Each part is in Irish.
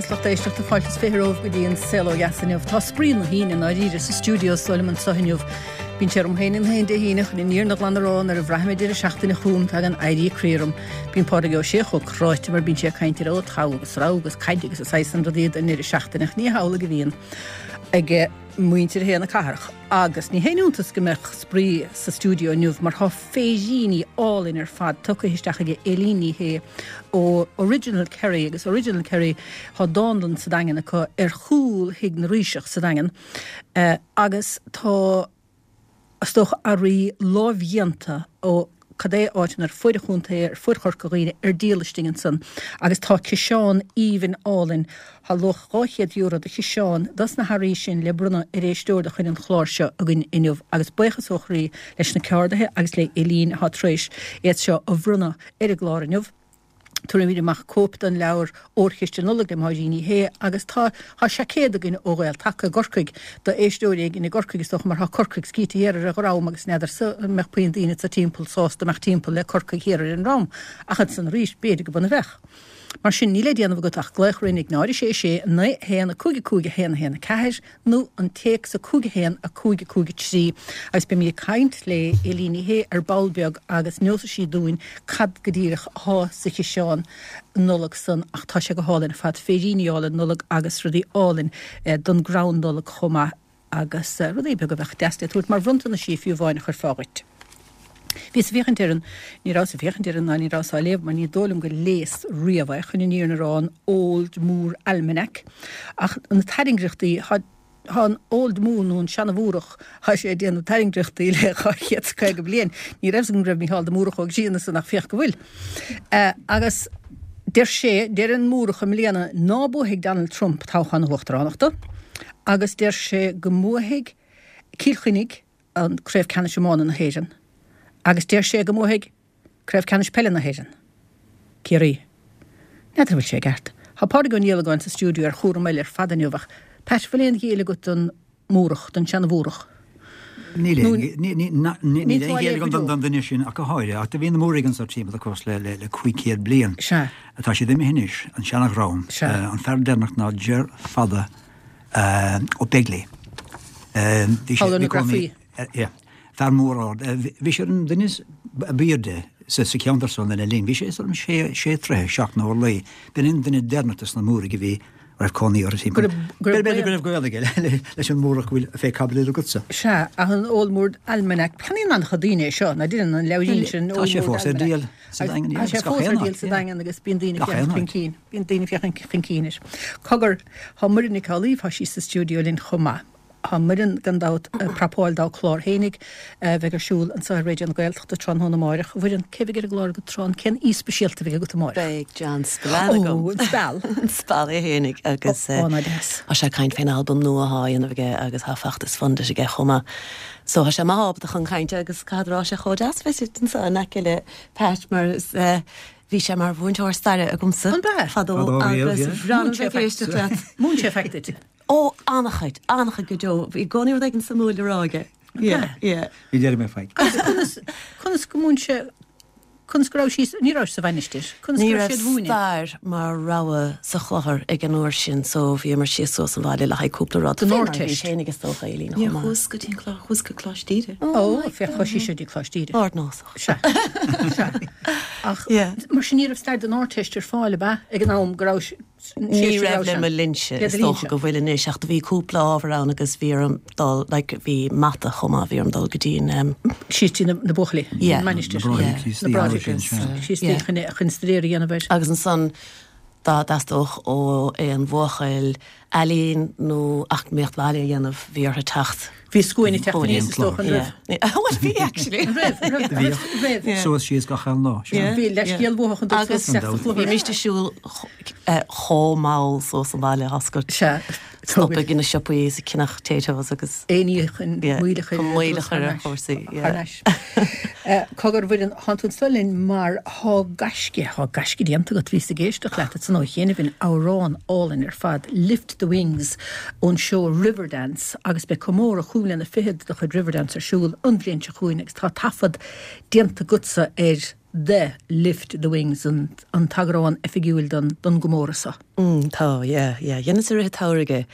Is lucht éisteachta fáilte is 20 romhaibh go dtí an Saol Ó Dheas inniu. Tá spraoi na hAoine i ndáiríre sa stiúideo is dóigh liom anseo inniu. Bíonn sé orm féin an haon Dé hAoine chun an fhírinne ghlan a rá nuair a bhraithim an deireadh seachtaine chugam tagann éirí croí orm. Bíonn Pádraig Ó Sé chomh cráite mar bíonn sé ag caint ar ó togha agus rogha agus caid agus an saghas san rudaí don ndeireadh seachtaine ach ní hamhlaidh a bhíonn ag muintir na cathrach. Agus ní haon iontas go mbeadh spraoi sa stiúideo inniu mar tá féiríní álainn ar fad tugtha isteach aige Éilín Ní Shé ó Original Kerry agus Original Kerry tá dánlann sa Daingean acu ar chúl Thigh na Ríseach sa Daingean agus tá is dócha earraí lámhdhéanta ó cad é áiteanna ar fuaid an chontae, ar fuaid Chorca Dhuibhne ar díol istigh ansan agus tá ciseán aoibhinn álainn, thá luach €200 do chiseán dos na hearraí sin le bronnadh ar éisteoir de chuid an chláir seo againn inniu agus buíochas ó chroí leis na ceardaithe agus le Eileen athá tar éis iad seo a bhronnadh ar an gclár inniu. Tabharfaimid amach cóip den leabhar Órchiste Nollag le Máirín Ní Shé agus tá tá seaicéad againn ó Ghael Taca i gCorcaigh do éisteoirí éigin i gCorcaigh is dócha mar tá Corcaigh scíte thiar ar an dhrom agus n'fheadarsa an mbeadh puinn daoine sa timpeall sásta imeacht timpeall le Corcaigh thiar ar an ndrom ach ansan arís b'fhéidir go b'ionadh a bheadh. Mar sin níl le déanamh agat ach glaoch orainn ag 0 6 6 9 1 5 5 1 1 4 nó an téacs 5 1 5 5 3 agus beimid ag caint le Éilín Ní Shé ar ball beag agus neosfaidh sí dúinn cad go díreach athá sa chiseán Nollag san ach tá sé go hálainn ar fad, féiríní álainn Nollag agus rudaí álainn don gcrann Nollag chomh maith agus rudaí beaga a bheadh deas le tabhairt mar bhronntanaisí fiú amháin a chuirfeá dhuit. Bhíos ag féachaint ar an, ní rabhas ag féachaint air ná ní rabhas á léamh mar ní dóigh liom gur léas riamh é, chun an fhírinne a rá, an Old Moore Almanac. Ach na tairngreachtaí, thá, thá an Old Moore nó an seana-Mhúrach, thá sé ag déanamh tairngreachtaí le 250 bliain. Ní raibh 's agam go raibh Mícheál de Múrach Ó Grianna san ach féach go bhfuil. Agus deir sé, deir an Múrach i mbliana ná buafaidh Donald Trump toghchán na huachtaránachta agus deir sé go mbuafaidh Cill Chainnigh, an Craobh Ceannais Iomána na hÉireann agus deir sé go mbuafaidh Craobh Ceannais Peile na hÉireann, Ciarraí. N'fheadar an bhfuil sé i gceart. Tá Pádraig Ó Niallagáin sa stiúideo ar chúram eile ar fad inniu ach, Pat, bhfuil aon ghéill agat don Mhúrach, don seana-Mhúrach? Níl aon ghéill agam don duine sin ach go háirithe. Ach do bhí na Múraigh anso timpeall na cois le 500 bliain. Sea. Tá siad imithe anois, an seana-dhream. An fear deireanach ná Ger Fada Ó Beighlí. Bhí sé ina cónaí. Fear mór ard. Bhí sé an duine ab aoirde sa cheantar san lena linn. Bhí sé is dóigh liom sé troithe, 7 nó a luí. B'in an duine deireanach de sna Múraigh a bhí a raibh cónaí orthu timpeall. B'fhéidir go raibh gaol aige leis an Múrach go bhfuil fé caibidil agatsa. Sea, ach an Old Moore Almanac, ceannaíonn an-chuid daoine é seo, ná deineann an leabhairín sin, Old Moore Almanac. Tá sé fós ar díol sa Daingean. Tá sé fós ar díol sa Daingean agus bíonn daoine ag féachaint chun cinn. Bíonn daoine ag féachaint chun cinn air. Cogar, tá Muireann Nic Amhlaoibh, tá sí sa stiúideo linn chomh maith. Tá Muireann, gan dabht, ag prapáil dá clár fhéinig, a bheidh ar siúl anseo ar Raidió na Gaeltachta tráthnóna amáireach. A Mhuireann, cé bheidh ar an gclár agat tráth, cén aoi speisialta a bheidh agat amáireach? Beidh John Spillane agam. Ó, an Speal! An Speal é fhéinig agus Ó, ná deas. tá sé ag caint fén albam nua athá á dhéanamh aige agus tá feachtas Fund It aige chomh maith. So tá sé maith ábalta chun cainte agus caithfead a rá sé chomh deas bheith anseo in aice le Pat mar is Bhí sé mar mhúinteoir staire agamsa An b'ea? fadó agus bhreá liom bheith ag éisteacht leat. Mhúin sé faic duit? Ó, an-chuid, an-chuid go deo. Bhí i gcónaí rud éigin suimiúil le rá aige. Yeah, yeah. Ní déarfaidh mé faic. Agus conas, conas go múin sé, conas go raibh sí, ní raibh sé sa mhainistir, conas Ní go raibh raibh siad mhúineadh? stair mar rogha sa chlochar ag an uair sin so bhíomar síos suas an bhaile le haghaidh cúpla rud. Don Fé mar a bhí Ardteist. féinig is dócha, Eileen, Níor chomh maith. chuas go dtí an clochar, chuas go Coláiste Íde. Ó, féach, chuaigh sí seo dtí Coláiste Íde. Ardnósach. Sea. Sea. Ach mar sin ní raibh stair don Ardteist ar fáil, ab ea, ag an am go raibh Ní raibh le mo linnse, is dócha go bhfuil anois, ach do bhí cúpla ábhar ann agus bhí orm dul, like, bhí mata chomh maith, bhí orm dul go dtí an. Síos dtí na buachaillí, an mainistir. Yeah. Na Bráithre Críostaí chun staidéar a dhéanamh air. Agus ansan dá dteastódh ó aon bhuachaill ealaín nó eacnamaíocht bhaile a dhéanamh, bhí orthu teacht. Bhí scuaine ag teacht aníos is dócha, an raibh? Bhuel, bhí actually. An raibh? An raibh? Raibh. Suas síos gach aon lá. Bhí leithscéal uathu chun dul suas isteach sa chluiche. Bhímíst ag siúl chomh mall suas an bhaile, oscailt. Sea. Stop ag na siopaí is ag ceannach Taytos agus. Aon ní chun moill a chur chun moill a chur ar chúrsaí. Thar n-ais. Cogar, a Mhuireann, thánn tú anso linn mar thá gaisce, thá gaisce déanta agat, bhíos ag éisteacht leat ansan ó chianaibh in amhrán álainn ar fad, Lift the Wings, ón seó Riverdance agus beidh comóradh chúig mbliana fichead de chuid Riverdance ar siúl an bhliain seo chugainn agus tá taifead déanta agatsa ar. The Lift the Wings an t-eagrán oifigiúil don gcomóradh seo. Mm, tá, yeah, yeah. Dheineas i rith an tsamhraidh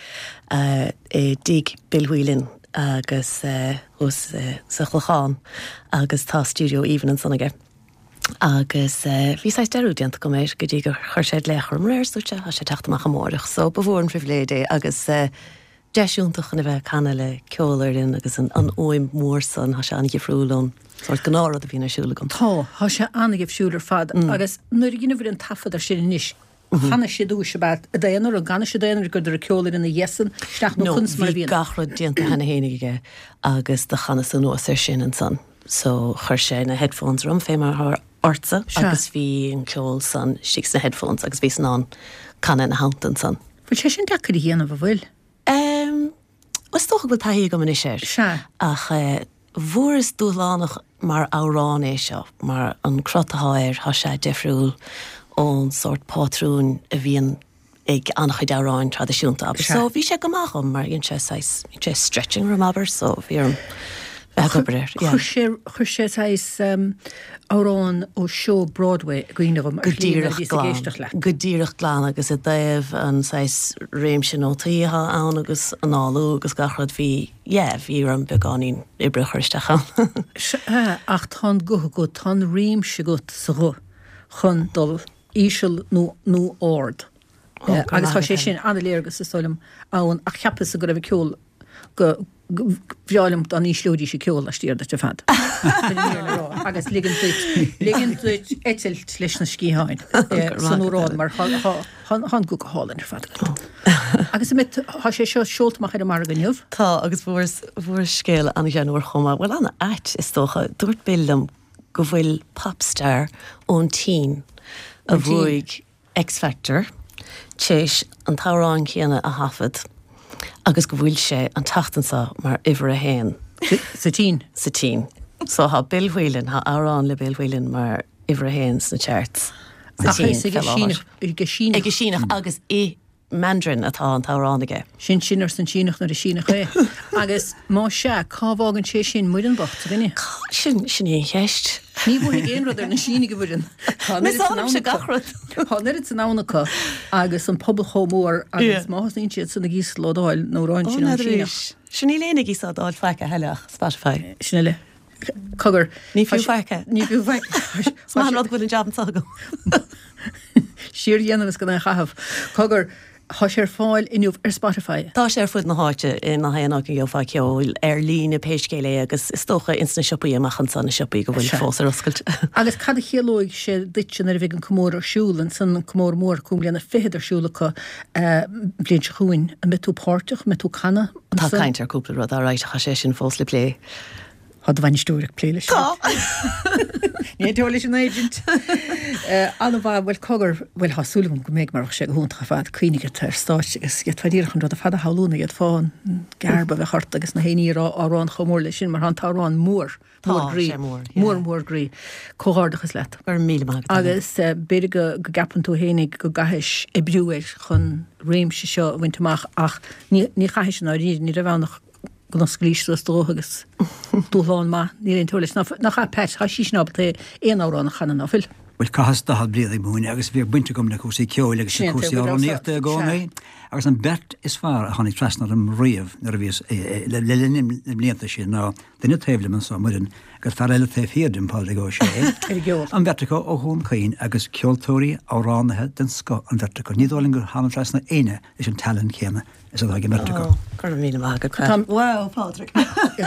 é i dtigh Bill Whelan agus thuas sa Chlochán agus tá stiúideo aoibhinn ansan aige. Agus bhí saghas dearúd déanta agam air go dtí gur chuir sé glaoch orm aréir is dúirt sé, tá sé ag teacht amach amáireach. So ba mhór an phribhléid é agus deis iontach chun a bheith ag canadh le ceolfhoireann agus an fhuaim mhór san, tá sé an-dhifriúil ón sórt gnáthrud a bhíonn ar siúl agam. Tá, tá sé an-dhifriúil ar fad agus nuair a dheineabhair an taifead ar sin anois, chanais i dtús ab ea i d'aonar, an gcanais i d'aonar go raibh ceolfhoireann ina dhiaidh san isteach nó No, conas mar a bhí bhíonn? gach rud déanta cheana fhéinig aige agus do chanas anuas air sin ansan. So chuir sé na headphones orm fé mar atá ortsa Sea. agus bhí an ceol san istigh sna headphones agus bhíos in ann canadh ina theannta ansan. Bhfuil sé sin deacair a dhéanamh, an bhfuil? Em, is dócha go bhfuil taithí agam anois air. Sea. Ach eh, fuaireas dúshlánach mar amhrán é seo, mar an crot atá air, tá sé difriúil ón sórt pátrúin a bhíonn ag an-chuid amhráin traidisiúnta, abair. Sea. So bhí sé go maith dhom mar dhein sé saghas, dhein sé stretching orm, abair, so bhí orm bheith ag obair air, yeah. Chuir sé, chuir sé saghas amhrán ó seó Broadway i gcuimhne dhom Go ar shlí nuair a díreach bhíos ag glan. éisteacht leat. Go díreach glan agus i dtaobh an saghas réimse nótaí atá ann agus análú agus gach rud bhí, yeah, bhí orm beagáinín oibre a chur isteach ann. Sea, ach tá an guth agat, tá an réimse agat sa ghuth chun dul íseal nó nó ard. Ó, go Agus maith tá sé agat. sin an-léargas is dóigh liom ann ach cheapas-sa go raibh an ceol go ba bhreá liom dá n-ísleoidís an ceol laistiar duit ar fad. Chun an fhírinne a rá agus ligint duit ligint duit eitilt leis na sciatháin san amhrán mar tá tá an guth go hálainn ar fad agat. Agus an mbeidh tá sé seo seolta amach ar an margadh inniu? Tá agus fuaireas fuaireas scéal an-ghreannmhar chomh maith, bhuel an-ait is dócha. Dúirt Bill liom go bhfuil popstar ón tSín a bhuaigh X Factor téis an t-amhrán céanna a thaifead agus go bhfuil sé an tseachtain seo mar uimhir a haon Sa tSín. sa tSín. So tá Bill Whelan, tá amhrán le Bill Whelan mar uimhir a haon sna charts sa Ach tSín is ag fé láthair. Síneach, ag Síneach. Ag Síneach agus i Mandarin atá an t-amhrán aige. Sin sin, arsa an Síneach nuair is Síneach é. Agus más ea, cá bhfágann sé sin Muireann bocht, a dhuine? Sin, sin í an cheist. Ní bhuafaidh aon rud ar na Sínigh, a Mhuireann. Tá an oiread san ann gach acu. rud. Tá an oiread san ann acu agus an pobal chomh mór agus má thosnaíonn siad san ag íoslódáil an amhráin sin ón Síneach. Sin níl éinne ag íoslódáil faic a thuilleadh ach Spotify. Sin eile. Cogar. Ní fiú faic é. Ní fiú faic. Is maith an rud go bhfuil an jab anseo agam. Siar a dhéanamh is gan é a chaitheamh. Cogar, tá sé ar fáil inniu ar Spotify. Tá sé ar fud na háite, i ngach aon áit a gheofá ceol, ar líne pé scéal é agus is dócha ins na siopaí amach anseo, na siopaí go bhfuil fós ar oscailt. Agus cad a chiallóidh sé duitse nuair a bheidh an comóradh ar siúl ansan, an comóradh mór, cúig mbliana fichead ar siúl acu an bhliain seo chugainn? An mbeidh tú páirteach? An mbeidh tú ag canadh Tá ansan? caint ar cúpla rud, alright, ach tá sé sin fós le plé. Tá do bhainisteoir ag plé leis. Tá! Ní aontóir leis an agent. An-mhaith, bhuel cogar, bhuel tá súil agam go mbeidh mar bheadh sé go hiontach ar fad, cuimhnigh ort ar stáitse agus d'fhéadfá díreach an rud ar fad a shamhlú nó d'fhéadfá an gearb a bheith ort agus na héinní ag rá amhrán chomh mór leis sin mar tá an t-amhrán mór, mór Tá groí, sé mór, yeah. mór mór groí. Comhghairdeachas leat. Go raibh míle maith agat. Agus b'fhéidir go gceapann tú fhéinig go gcaithfis oibriú air chun réimse seo a bhaint amach ach ní chaithfis i ndáiríre, ní raibh ann ach go n-osclaís suas do ghuth agus dúshlán maith, níl aon teora leis. Nach ea, Pat, tá sí sin ábalta aon amhrán a chanadh, ná fuil? Bhuel, chaitheas 40 bliain ag múineadh agus bhíodh baint agam le cúrsaí ceoil agus le cúrsaí amhránaíochta i gcónaí agus an bheirt is fearr a tháinig trasna orm riamh nuair a bhíos le linn na mblianta sin ná duine taobh liom anso, Muireann, agus fear eile taobh thiar díom, Pádraig Ó Sé. An bheirt acu ó Dhún Chaoin agus ceoltóirí, amhránaithe den scoth an bheirt acu. Ní dóigh liom gur tháinig trasna éinne leis an tallann céanna. Is atá ag an mbeirt acu. Ó, go raibh míle maith agat, Pat. Wow, Pádraig.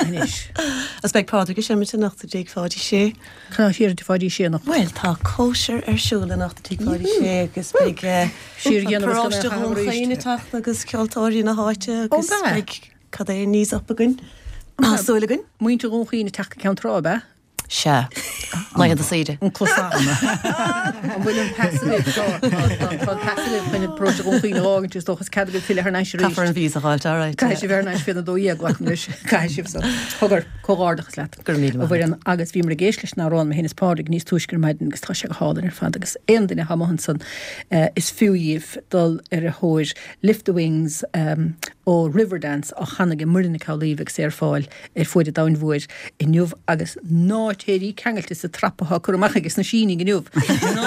Anois. Agus beidh Pádraig ag seimint anocht i dTigh Pháidí Sé. Cad tá thiar i dTigh Pháidí Sé anocht? Bhuel, tá cóisir ar siúl anocht i dTigh Pháidí Sé agus beidh Siar a dhéanamh is gan é Paróiste a chaitheamh Dhún arís. Chaoin ag teacht agus ceoltóirí na háite Ó, agus b'ea? beidh cad é knees up againn. Tá súil againn. Muintir Dhún Chaoin ag teacht go Ceann Trá, ab ea? Sea. Laethanta saoire. An cosán. An bhfuil an pas agaibh? Tá, tá, tá an pas agaibh chun paróiste Dhún Chaoin a fhágaint is dócha is cead agaibh filleadh thar n-ais arís. Caithfear an visa a fháilt, all right. Caithfidh sibh bheith thar n-ais faoina 12, glacaim leis. Caithfidh sibh so. Cogar, comhghairdeachas leat. Go raibh míle maith A Mhuireann, agus bhíomar ag éisteacht leis an amhrán, mé féin is Pádraig, níos túisce ar maidin agus tá sé go hálainn ar fad agus aon duine atá amuigh ansan is fiú dhíbh dul ar a thóir Lift the Wings ó. ó Riverdance á chanadh ag Muireann Nic Amhlaoibh agus é ar fáil ar Fuaid an Domhain Mhóir inniu agus ná téirí ceangailte sa trap atá curtha amach aige sna Sínigh inniu. Ná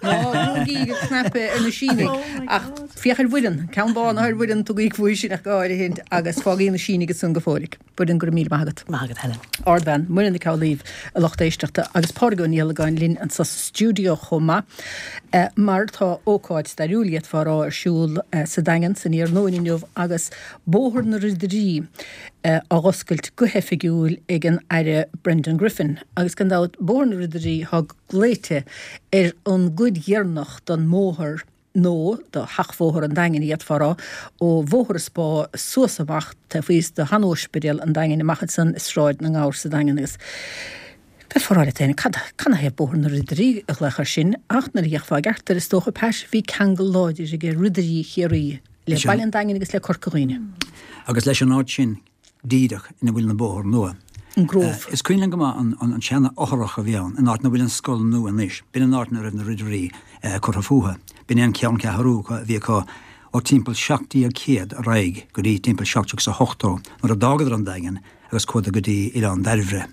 ná brúigí an cnaipe ar na Sínigh ach féach ar Mhuireann, ceann bán ar Mhuireann, tugaigí faoi sin ach go háirithint agus fágaigí na Sínigh ansan go fóillic. Muireann, go raibh míle maith agat. Maith agat, Helen. Ardbhean, Muireann Nic Amhlaoibh, a lucht éisteachta, agus Pádraig Ó Niallagáin linn anso sa stiúideo chomh maith, mar tá ócáid stairiúil, d'fhéadfá a rá, ar siúl sa Daingean san iarnóin inniu agus Bóthar na Ridirí á dh'oscailt go hoifigiúil ag an Aire Brendan Griffin. Agus gan dabht, Bóthar na Ridirí atá glaoite ar an gcuid dheireanach den mbóthar, nó de sheachbhóthar an Daingin, d'fhéadfá a rá, ó Bhóthar an Spá suas amach taobh thíos de shean-Ospidéal an Daingin, amach ansan i Sráid na nGabhar sa Daingean agus bheifeá ag rá leat féin, cad, canathaobh Bóthar na Ridirí a glaoch air sin? Ach nuair a d'fhéachfá i gceart air, is dócha, Pat, bhí ceangal láidir ag Ridirí Chiarraí le Baile an Daingin agus le Corca Dhuibhne. Agus leis an áit sin. díreach ina bhfuil an bóthar nua. An Grove. Is cuimhin liom go maith an seana-fhothrach a bhí ann, an áit ina bhfuil an scoil nua anois. B'in an áit ina raibh na Ridirí curtha fúthu. B'in é an ceanncheathrú a bhí acu ó timpeall 1700 ar aghaidh go dtí timpeall 1780 nuair a d'fhágadar an Daingean agus chuadar go dtí Oileán Dairbhre.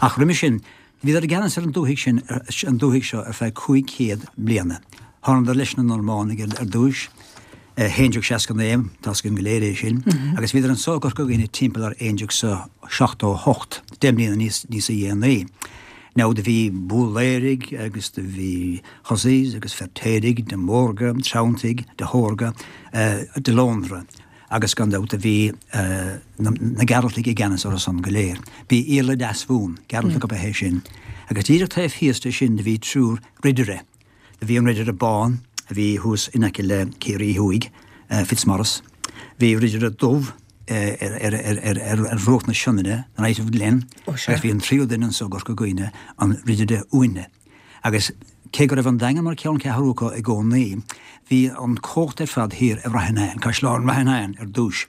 Ach roimhe sin, Bhíodar i gceannas ar an dúthaigh sin, an dúthaigh seo, ar feadh 500 bliana. Thánadar leis na Normánaigh ar dtúis, 1169, tá's againn go léir é sin, agus bhíodar anso i gCorca Dhuibhne timpeall ar 1178, 10 mbliana níos níosa dhéanaí. Now do bhí Búlaeirigh agus do bhí Husseys agus Feirtéirigh, de Mórga, Treanntaigh, de hÓrga, de Lóndra. agus gan dabht do bhí na Gearaltaigh i gceannas orthu san go léir. Bhí Iarla Deasmhumhan, Gearaltach ab ea é sin, agus díreach taobh thíos de sin do bhí triúr ridire. Do bhí an ridire bán a bhí thuas in aice le Ciarraí Thuaidh, Fitzmaurice. Bhí ridire dubh ar bhruach na Sionainne, the Knight of Glin, agus bhí an tríú duine anso i gCorca Dhuibhne, an ridire uaine. Agus cé go raibh an Daingean mar cheanncheathrú acu i gcónaí, bhí an chumhacht ar fad thiar i Rath an Caisleán Rath an Éin ar dtúis.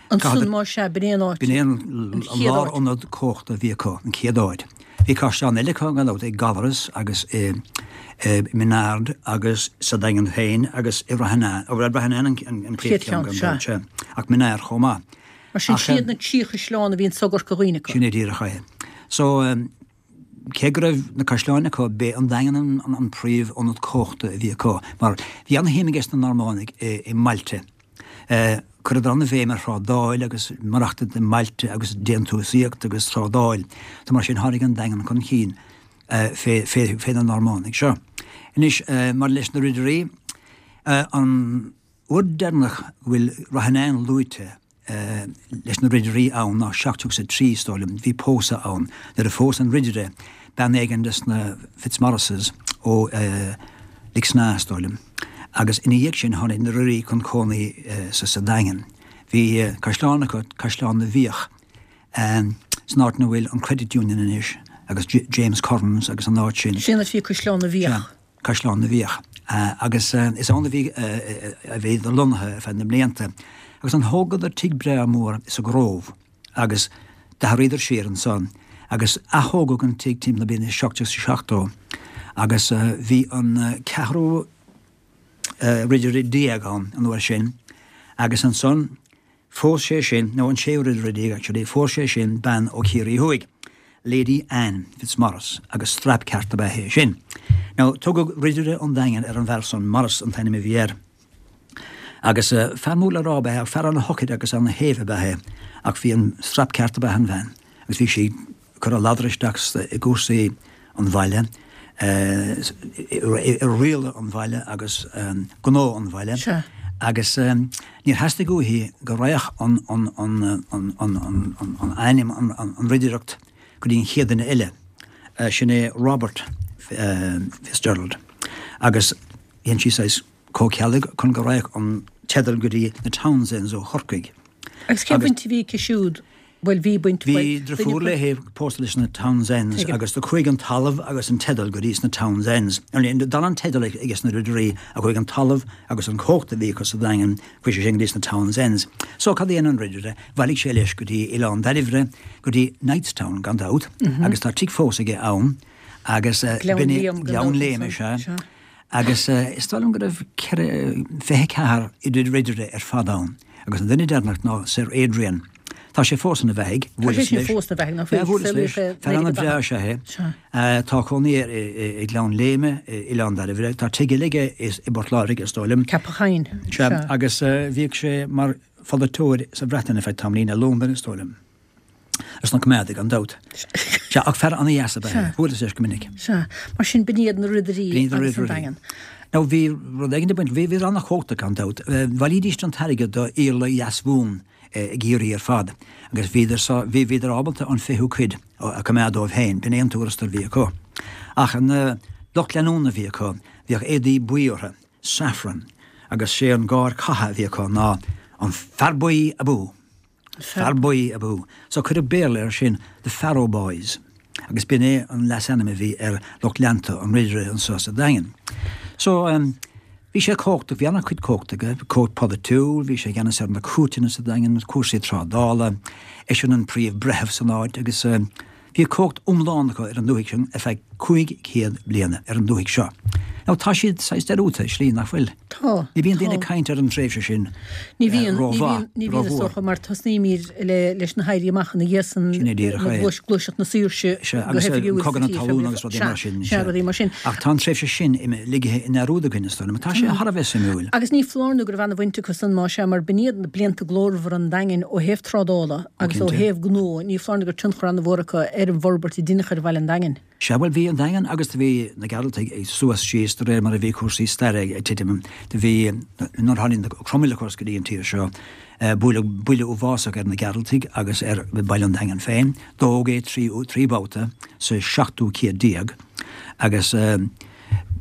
Ansan más ea, b'in é an áit. B'in é an lárionad cumhachta a bhí acu, an chéad áit. Bhí caisleáin eile acu gan dabht, i gCallaras agus i Minaird agus sa Daingean féin agus i Rath an Éin, bhuel Rath an Éin an chéad cheann gan dabht, sea, ach Minaird chomh maith. Mar sin, siad na trí chaisleán a bhí anso i gCorca Dhuibhne acu. Sin é díreach é. So. Cé go raibh na caisleáin acu, b'é an Daingean an príomh-ionad cumhachta a bhí acu, mar bhí an-shuim aige sna Normánaigh i mbailte. Chuireadar an-bhéim ar thrádáil agus maireachtaint i mbailte agus déantúsaíocht agus trádáil. So mar sin tháinig an Daingean chun cinn fé na Normánaigh seo. Anois, maidir leis na Ridirí, an uair deireanach go bhfuil Rath an Éin luaite, leis na Ridirí ann ná 1703, is dóigh liom. Bhí pósadh ann nuair a phós an Ridire bean éigin des na Fitzmaurices ó Lixnaw, is dóigh liom. Agus ina dhiaidh sin tháinig na Ridirí chun cónaí sa Daingean. Bhí caisleán acu, Caisleán na bhFiach, san áit ina bhfuil an Credit Union anois agus James Curran's agus an áit sin. Sin áit a bhí Caisleán na bhFiach. Caisleán na bhFiach. Agus is ann a bhí a bhíodar lonnaithe ar feadh na mblianta. Agus ansan thógadar tigh breá mór sa Grove agus d'athraíodar siar ansan agus athógadh an tigh timpeall na bliana 1770 agus bhí an ceathrú ridire déag ann an uair sin agus ansan Phós sé sin, nó an séú ridire déag actually, phós sé sin bean ó Chiarraí Thuaidh, Lady Anne Fitzmaurice, agus strap ceart ab ea é sin. Now, tugadh Ridire an Daingin ar an bhfear san, Maurice an t-ainm a bhí air. Agus fear mór le rá ab ea é, fear ana-shocair agus ana-shéimh ab ea é, ach bhí an strap ceart ab ea an bhean, agus bhí sí, cur a ladar isteach i gcúrsaí an bhaile, i rialadh an bhaile agus gnó an bhaile agus níor theastaigh uaithi go raghadh an ainm, an ridireacht go dtí an chéad duine eile, sin é Robert Fitzgerald agus dhein sí saghas comhcheilg chun go raghadh an teideal go dtí na Townsends ó Chorcaigh. Agus cén bhaint a bhí aici siúd? Bhuel, bhí baint, bhuel, Bhí driofúr léi pósta leis na Townsends agus do chuaigh an talamh agus an teideal go dtí sna Townsends. D'fhan an teideal aige sna Ridirí ach chuaigh an talamh agus an chumhacht a bhí acu sa Daingean, chuaigh sé sin go dtí sna Townsends. So cad a dhein an Ridire? Bhailigh sé leis go dtí Oileán Dairbhre, go dtí Knightstown gan dabht, agus tá tigh fós aige ann agus Gleann Liam, Gleann Léime, sea. Agus is dóigh liom go raibh 24 ridire ar fad ann. Agus an duine deireanach ná Sir Adrian. Tá sé fós ina bheathaidh. Tá sé sin fós ina bheathaidh, ná fuil? Bhuaileas leis. Fear ana-bhreá is ea é. Tá cónaí air i nGleann Léime, i Oileán Dairbhre. Tá tigh eile aige i bPort Láirge, is dóigh liom. Ceapach Choinn. Sea. Agus bhíodh sé mar pholaiteoir sa Bhreatain ar feadh tamaillín, i Londain, is dóigh liom. Ar son na Coimeádaigh, gan dabht. Sea, ach fear ana-dheas ab ea é. Bhuaileas leis go minic. Sea. Mar sin, b'in iad na Ridirí agus an Daingean. Now, bhí rud éigin ag baint, bhí, bhíodar ana-chumhachtach, gan dabht. Bhailídís an t-airgead do Iarla Dheasmhumhan i gCiarraí ar fad agus bhíodar sa, bhí, bhíodar ábalta an fichiú cuid a choimeád dóibh féin, b'in é an tuarastal a bhí acu. Ach an lucht leanúna a bhí acu, bhíodh éadaí buí orthu, saffron, agus sé an gáir catha a bhí acu ná an fear buí abú! Fear Buí abú. So cuireadh Béarla air sin, The Farrow Boys, agus b'in é an leasainm a bhí ar lucht leanta an Ridire anso sa Daingean. So bhí sé cumhachtach, bhí an-chuid cumhacht aige, cumhacht polaitiúil, bhí sé i gceannas ar na cúirteanna sa Daingean, cúrsaí trádála, eisean an príomh-bhreitheamh san áit agus Bhí cumhacht iomlán acu ar an dúthaigh sin ar feadh 500 bliana, ar an dúthaigh seo. Now tá siad saghas dearúdta i slí, nach bhfuil? Tá. Ní bhíonn daoine ag caint ar an tréimhse sin Ní bhíonn, ní bhíonn, ní bhíonn is dócha, mar tosnaímid le, leis na hÉirí Amach ina dhiaidh san, Sin é díreach é. gluaiseacht na saoirse Sea, agus Cogadh na Talún agus rudaí mar sin. Sea, rudaí mar sin. Ach tá an tréimhse sin ligthe i ndearúd againn, is dóigh liom. Tá sé thar a bheith suimiúil. Agus ní foláir nó go raibh ana-bhaint acu san, más ea, mar b'in iad na blianta glórmhara an Daingin ó thaobh trádála. Agus ó thaobh gnó, ní foláir nó go raibh tionchar an-mhór acu ar an bhforbairt a deineadh ar bhaile an Daingin. Sea, bhuel, bhí an Daingean agus do bhí na Gearaltaigh ag suas síos de réir mar a bhí cúrsaí staire ag titim. Do bhí, nuair a tháinig na Cromail, of course, go dtí an tír seo, buaileadh buille uafásach ar na Gearaltaigh agus ar bhaile an Daingin féin. Dódh é 3 babhta sa seachtú céad déag agus,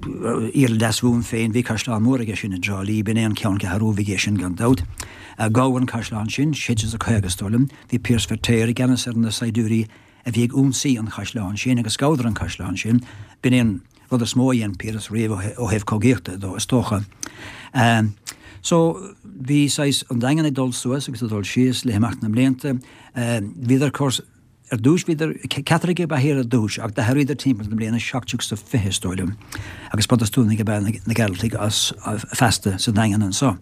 Iarla Deasmhumhan féin, bhí caisleán mór aige sin i dTrá Lí, b'in é an ceanncheathrú a bhí aige sin gan dabht. Gabhadh an caisleán sin, 1650 is dóigh liom. Bhí Pearse Feirtéar i gceannas ar na saighdiúirí a bhí ag ionsaí an chaisleáin sin agus ghabhadar an caisleán sin. B'in é an rud is mó a dhein Piaras riamh ó thaobh cogaíochta dó, is dócha. So, bhí saghas an Daingean ag dul suas agus ag dul síos le himeacht na mblianta. Bhíodar, of course, Ar dtúis bhíodar, Caitlicigh ab ea iad ar dtúis ach d'athraíodar timpeall na bliana 1720 is dóigh liom agus Protastúnaigh ab ea na Gearaltaigh as feasta sa Daingean anso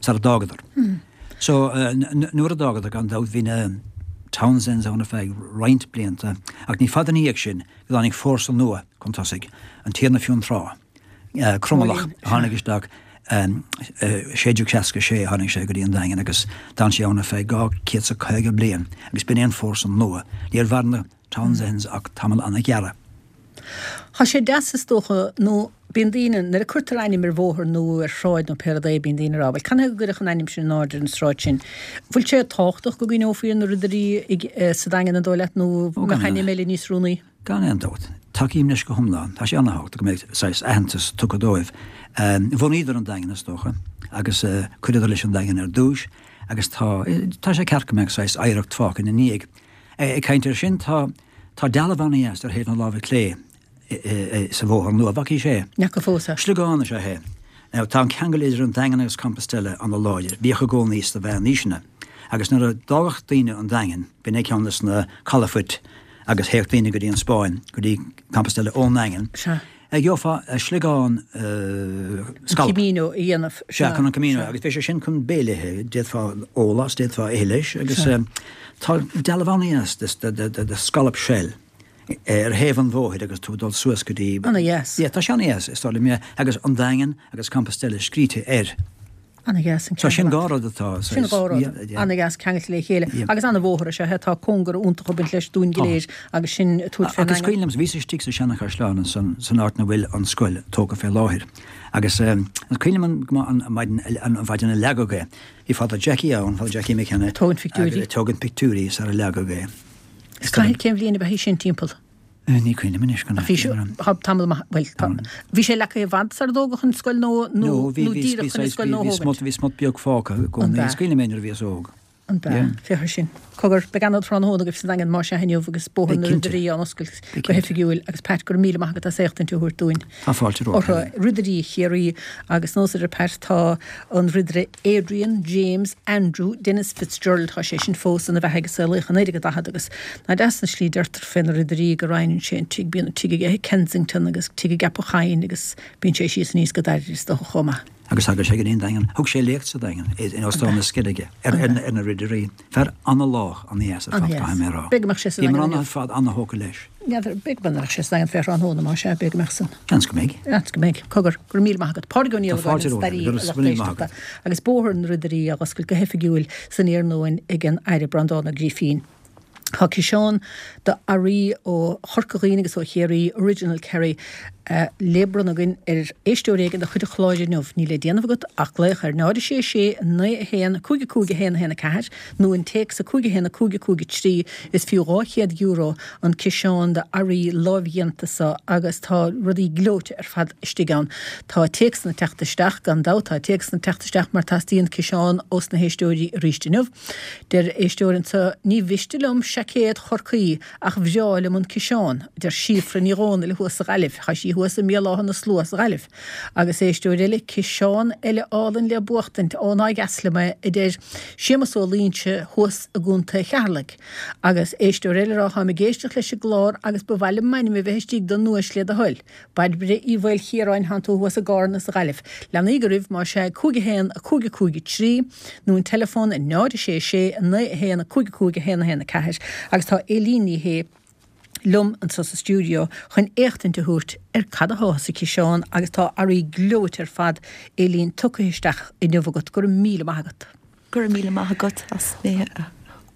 sara d'fhágadar. So nuair a d'fhágadar gan dabht bhí na Townsends ann ar feadh roinnt blianta ach ní fada ina dhiaidh sin go dtáinig fórsa nua chun tosaigh, an Tiarna Fionntrá. Cromalach a tháinig isteach 1666 a tháinig sé go dtí an Daingean agus d'fhan sé ann ar feadh 250 bliain agus b'in é an fórsa nua. Níor mhair na Townsends ach tamall ana-ghearr. Tá sé deas is dócha nó bíonn daoine, nuair a cuirtear ainm ar bhóthar nó ar shráid nó pé rud é bíonn daoine ag rá bhuel canathaobh go gcuireadh an ainm sin in airde ar an sráid sin. Bhfuil sé tábhachtach go gcuimhneofaí ar na Ridirí sa Daingean an dóigh leat nó mbeadh ainm eile níos oiriúnaí? Gan aon dabht. Tacaím leis go hiomlán. Tá sé ana-thábhachtach go mbeidh saghas aitheantas tugtha dóibh. Bhunaíodar an Daingean, is dócha, agus chuireadar leis an Daingean ar dtúis agus tá, tá sé ceart go mbeadh saghas oidhreacht fágtha ina ndiaidh. Ag caint air sin, tá, tá dealbh ana-dheas ar thaobh na láimhe clé sa bhóthar nua. Bhfacaís é? N'fheaca fós é. Sliogán is ea é. Now, tá an ceangal idir an Daingean agus Compostela ana-láidir. Bhíodh i gcónaí sna mheánaoiseanna. Agus nuair a d'fhágadh daoine an Daingean, b'in é ceann des na calafoirt agus théadh daoine go dtí an Spáinn, go dtí Compostela ón nDaingean. Sea. Gheofá sliogán scallop. An Camino a dhéanamh. Sea, chun an Camino. Agus bhí sé sin chun béile a ithe. D'fhéadfá ól as, d'fhéadfá ithe leis. Agus tá dealbh an-dheas de scallop shell ar thaobh an bhóthair agus tú ag dul suas go dtí. An-dheas. Yeah, tá sé an-dheas, is dóigh liom, yeah. Agus an Daingean agus Compostela scríte air. Ana-dheas an ceangal. So sin dhá rud atá. Sin dhá rud. Ana-dheas ceangailte le chéile. Agus ana-bhóthar is ea é. Tá cóngar iontach ag baint leis dúinn go léir agus sinn ag tabhairt fén nDaingean. Agus cuimhin liom, bhíos istigh sa seanachaisleán ansan, san áit 'na bhfuil an scoil tógtha fé láthair. Agus is cuimhin liom go maith an maidin, an mhaidin a leagadh é. Bhí Father Jackie ann, Father Jackie McKenna. Ag tógaint pictiúirí. Ag tógaint pictiúirí sara leagadh é. Is cén bhliain ab ea í sin timpeall? Ní cuimhin liom anois go Bhí sé, tá tamall maith, bhuel, tá, bhí sé leagtha i bhfad sar a dtógadh an scoil nó, nó, nó díreach chun an scoil nua a thógaint? Bhí smut beag fágtha i gcónaí. Is cuimhin liom é nuair a bhíos óg. An b'ea? Féach air sin. Cogar, beidh ana-thráthnóna agaibh sa Daingean más ea inniu agus Bóthar na Ridirí á oscailt go hoifigiúil agus Pat, go raibh míle maith agat as éachtaint a thabhairt dúinn. Tá fáilte romhat. Orthu, Ridirí Chiarraí agus nós idir Pat, tá an Ridire Adrian James Andrew Denis Fitzgerald, tá sé sin fós ina bheathaidh agus saolaíodh i 1940 agus nach deas an slí deirtear fé na Ridirí go roinneann sé an tigh, bíonn an tigh aige i Kensington agus tigh i gCeapach Choinn agus bíonn sé síos aníos go Dairbhre is dócha chomh maith. Agus thagadh sé go dtí an Daingean. Thug sé léacht sa Daingean, in Óstán na Sceilge, ar na Ridirí. Fear ana-lách, ana-dheas ar fad, caithfidh mé a rá. B'fhéidir go mbeadh sé sa Daingean inniu. Bhíomar ar fad ana-thógtha leis. N'fheadar, b'fhéidir go mbeadh sé sa Daingean fé thráthnóna, más ea, b'fhéidir go mbeadh san. Seans go mbeidh. Seans go mbeidh. Cogar, go raibh míle maith agat. Pádraig Ó Niallagáin, an staraí, a lucht éisteachta, agus Bóthar na Ridirí á oscailt go hoifigiúil san iarnóin ag an Aire Breandán Ó Grífín. Tá ciseán d'earraí ó Chorca Dhuibhne agus ó Chiarraí, Original Kerry, le bronnadh againn ar éisteoir éigin de chuid an chláir inniu. Níl le déanamh agat ach glaoch ar 0 6 6 9 1 5 5 1 1 4 nó an téacs 5 1 5 5 3. Is fiú €200 an ciseán d'earraí lámhdhéanta seo agus tá rudaí gleoite ar fad istigh ann. Tá téacsanna ag teacht isteach, gan dabht tá téacsanna ag teacht isteach mar teastaíonn ciseán ós na héisteoirí arís inniu. Deir éisteoir anseo, Ní mhiste liom seaicéad Chorcaí ach bhreá liom an ciseán, a deir Síofra Ní Dhomhnaill thuas sa Ghaillimh. Tá sí thuas i mBéal Átha na Slua sa Ghaillimh. Agus éisteoir eile, Ciseán eile álainn le buachtaint, ó nár dheas liom é, a deir Séamus Ó Loingsigh thuas i gContae Cheatharlaigh. Agus éisteoir eile ag rá, Táim ag éisteacht leis an gclár agus ba mhaith liom m'ainm a bheith istigh don nduais le do thoil. Bairbre Uí Mhaoilchiaráin, Tánn tú thuas i gCarna sa Ghaillimh. Leanaíg oraibh, más ea, 5 1 5 5 3, nó an teileafón 0 6 6 9 1 5 5 1 1 4 agus tá Éilín Ní Shé liom anseo sa stiúideo chun éachtaint a thabhairt ar cad atá sa chiseán agus tá earraí gleoite ar fad, Éilín, tugtha isteach inniu agat. Go raibh míle maith agat. Go raibh míle maith agat as mé a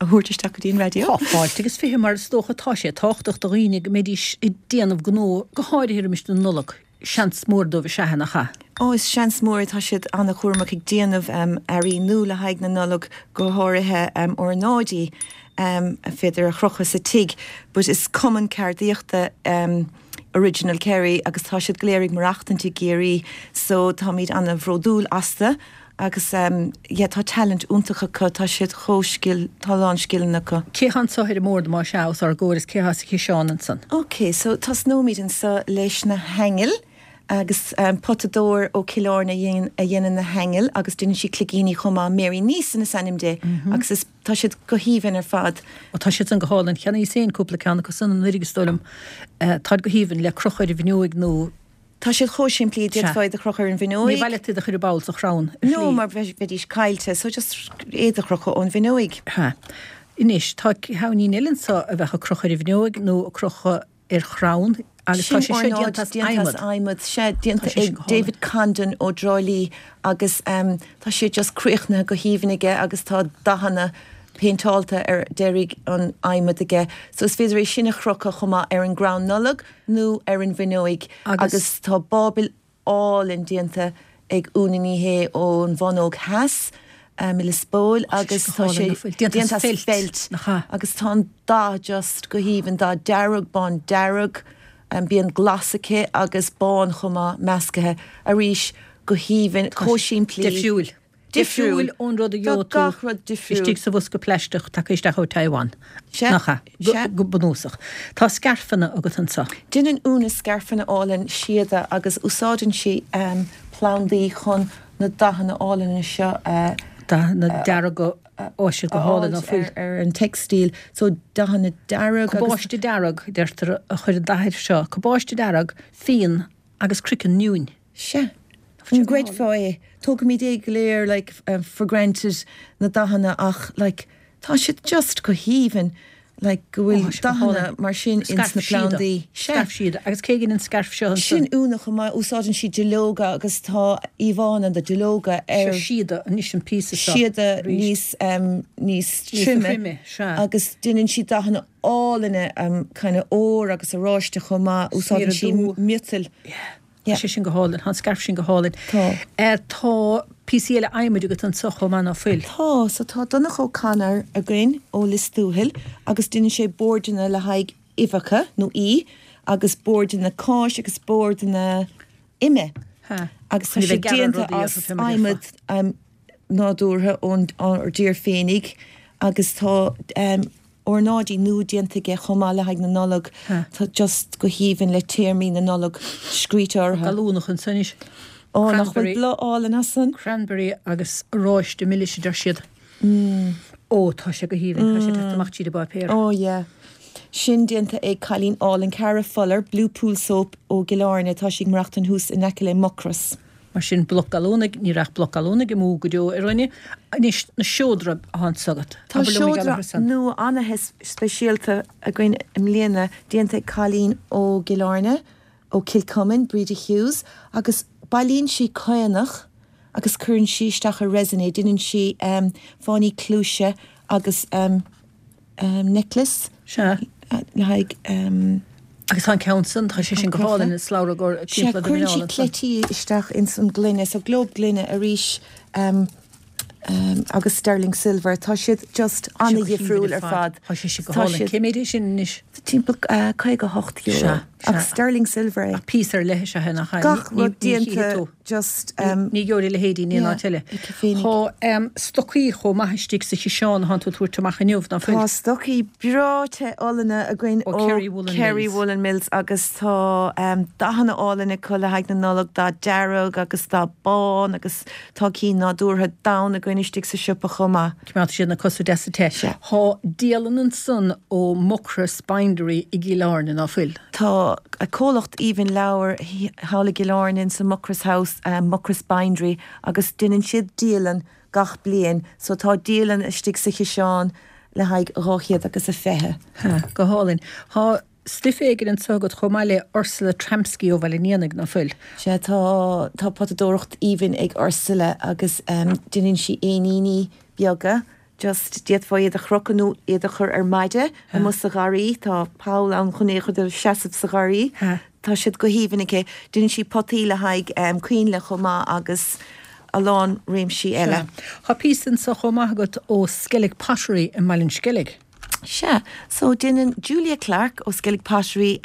thabhairt isteach go dtí an raidió. Tá fáilte agus 20 mar is dócha tá sé tábhachtach do dhaoine go mbeidís ag déanamh gnó, go háirithe roimis na Nollag. Seans mór dóibh is ea, nach ea? Ó, is seans mór é. Tá siad an-chúramach ag déanamh earraí nua le haghaidh na Nollag, go háirithe ornáidí a féidir a chrochadh sa tigh. But is cumann ceardaíochta Original Kerry agus tá siad go léir ag maireachtaint i gCiarraí so táimid an-bhródúil astu. Agus yeah tá talent iontach acu, tá siad chomh scil, tá a lán scileanna acu. Cé thá anso ar an mbord más ea os ár gcomhair is cé thá sa chiseán ansan? Ok, so tosnóimid anso leis na haingil agus potadóir ó Cill Airne a dhéanann na haingil agus déanann sí cloigíní chomh maith, Mary Neeson is ainm di agus is, tá siad go haoibhinn ar fad. Ó tá siad san go hálainn, cheannaíos féin cúpla ceann acu san anuraidh is dóigh liom. Táid go haoibhinn le crochadh ar an bhfuinneoig nó. Tá siad chomh simplí, d'fhéadfá iad a chrochadh ar an bhfuinneoig. Ní mhaith leat iad a chur i bpoll sa chrann, ar shlí. No, mar bheidís caillte, so just iad a chrochadh ón bhfuinneoig. Ha. Anois, tá ceainnín eile anseo a bheadh ag crochadh ar an bhfuinneoig nó ag crochadh ar chrann agus tá sé seo déanta as adhmad. Déanta as adhmad, sea, déanta ag David Condon ó dTrá Lí agus tá sé just críochnaithe go haoibhinn aige agus tá dathanna péinteálta ar deiridh an adhmaid aige. So is féidir é sin a chrochadh chomh maith ar an gcrann Nollag. nó ar an bhfuinneoig agus tá báibil álainn déanta ag Úna Ní Shé ón bhFánóg Theas i Lios Póil agus tá sé déanta as feilt agus tá an dath just go haoibhinn, dath dearg, bán dearg, bíonn glas aici agus bán chomh maith meascaithe arís go haoibhinn, chomh simplí. Difriúil. Difriúil ón rud a gheobhaidh tú istigh sa bhosca plaisteach tagtha isteach ó Taiwan, nach ea? Sea. Go bunúsach. Tá scairfeanna agat anseo. Déanann Úna scairfeanna álainn síoda agus úsáideann sí plandaí chun na dathanna álainne seo a. Dathanna dearga, ó siad go hálainn, ná fuil? ar an teicstíl. So dathanna dearg agus. Cabáiste dearg, deirtear, a chuir an dath air seo. Cabáiste dearg, fíon agus croiceann mionn. Sea. An gcreidfeá é? Tógaimid é go léir like for granted na dathanna ach like tá siad just go haoibhinn like go bhfuil dathanna mar sin ins na plandaí. Sea. Scairf síoda. Agus cé a dhein an scairf seo ansan? Sin Úna chomh maith. Úsáideann sí duilleoga agus tá íomhánna de duilleoga ar. Seo síoda anois an píosa seo. Síoda níos níos troime. Sea. Agus déanann sí dathanna álainne kind of ór agus oráiste chomh maith. Úsáideann sí miotail. Yeah. Tá sé sin go hálainn. Tá an scairf sin go hálainn. Tá. Tá píosaí eile adhmaid agat anseo chomh maith, ná fuil? Tá. So tá Donncha O'Connor againn ó Lios Tuathail agus déanann sé boirdeanna le haghaidh uibheacha nó í agus boirdeanna cáis agus boirdeanna ime. Ha. Agus tá sé déanta as adhmad nádúrtha ón ár dtír féinig agus tá ornáidí nua déanta aige chomh maith le haghaidh na Nollag. Tá just go haoibhinn le téarmaí na Nollag scríte orthu. Gallúnach ansan anois. Ó, nach bhfuil bláth álainn as san? Cranberry agus oráiste milis a deir siad. Ó, tá sé go haoibhinn. Tá sé ag teacht amach tríd an bpáipéar. Ó, yeah. Sin déanta ag cailín álainn Cara Fuller, Blue Pool Soap ó gCill Airne. Tá sí ag maireachtaint thuas in aice le Mucros. Mar sin, bloc gallúnaigh, ní raibh ach bloc gallúnaigh amú go deo ar dhuine. Anois, na seodra atá anso agat. Tá Abair liom mar gheall seodra orthu san. nua ana-speisialta againn i mbliana, déanta ag cailín ó gCill Airne, ó Kilcummin, Breda Hughes, agus bailíonn sí caonach agus cuireann sí isteach i resin é, déanann sí fáinní cluaise agus necklace Sea. le haghaidh. Agus tá an ceann san, tá sé sin go hálainn, an slabhra gur Sea, timpeall do cuireann sí mhuineál ansan. cleití isteach ins an gloine, so globe gloine arís agus sterling silver. Tá siad just Tá sé go haoibhinn ana-dhifriúil ar ar fad. fad. Tá sé sin go Tá hálainn. siad Cé méid é sin anois? timpeall €58. Sea, sea. Ach sterling silver é. Ach píosa ar leith is ea é, nach ea? Gach Ní, rud ní chífidh déanta tú. just Ní gheobhaidh a leithéidí in aon yeah, áit eile. aici féinig. Tá stocaí chomh maith istigh sa chiseán atánn tú ag tabhairt amach inniu, ná fuil? Tá stocaí breá te álainne againn Ó ó Kerry Woollen Kerry Mills. Woollen Mills agus tá dathanna álainn acu le haghaidh na Nollag, dath dearg agus dath bán agus tá cinn nádúrtha donn againn istigh sa siopa chomh maith. Coimeádfaidh siad na cosa deasa te. Sea. Tá dialann ansan ó Mucross Bindery i gCill Airne, ná fuil? Tá comhlacht aoibhinn leabhar thall i gCill Airne in san Mucross House, Mucross Bindery, agus déanann siad dialann gach bliain. So tá dialann istigh sa chiseán le haghaidh 200 agus a 20. Ha, go hálainn. Tá stuif éigin anso agat chomh maith le Ursula Tramsky ó Bhaile an Éanaigh, ná fuil? Sea, tá, tá potadóireacht aoibhinn ag Ursula agus déanann sí éiníní beaga Just, d'fhéadfá iad a chrochadh nó iad a chur ar maide amuigh sa gharraí, tá poll ann chun é a chur seasamh sa gharraí. Tá siad go haoibhinn aici. Déanann sí potaí le haghaidh coinnle chomh maith agus a lán réimsí eile. Sea. Tá píosa anso chomh maith agat ó Skellig Pottery i mBaile an Sceilg. Sea. So, déanann Julia Clarke ó Skellig Pottery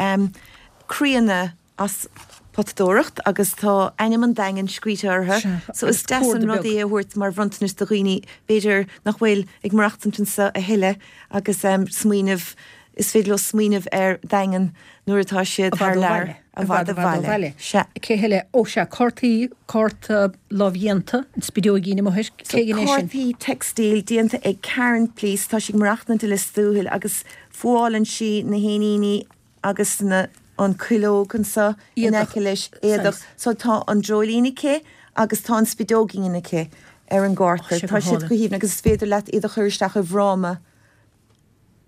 croíanna as potadóireacht agus tá ainm an Daingin scríte orthu so is deas an rud é a thabhairt mar bhronntanas do dhaoine b'fhéidir nach bhfuil ag maireachtaint anseo a thuilleadh agus smaoineamh, is féidir leo smaoineamh ar Daingean nuair atá siad thar lear, i bhfad ó bhaile. Sea. Cé heile? Ó sea, cártaí, cárta lámhdhéanta, an spideoigín amuigh air, cé hé sin? Cártaí teicstíl déanta ag Karen Please, tá sí ag maireachtaint i Lios Tuathail agus fuálann sí na héiníní agus na an cuileog anso in aice leis, éadach. So tá an dreoilín aici agus tá an spideoigín aici ar an gcárta. Tá siad go haoibhinn agus is féidir leat iad a chur isteach i bhfráma.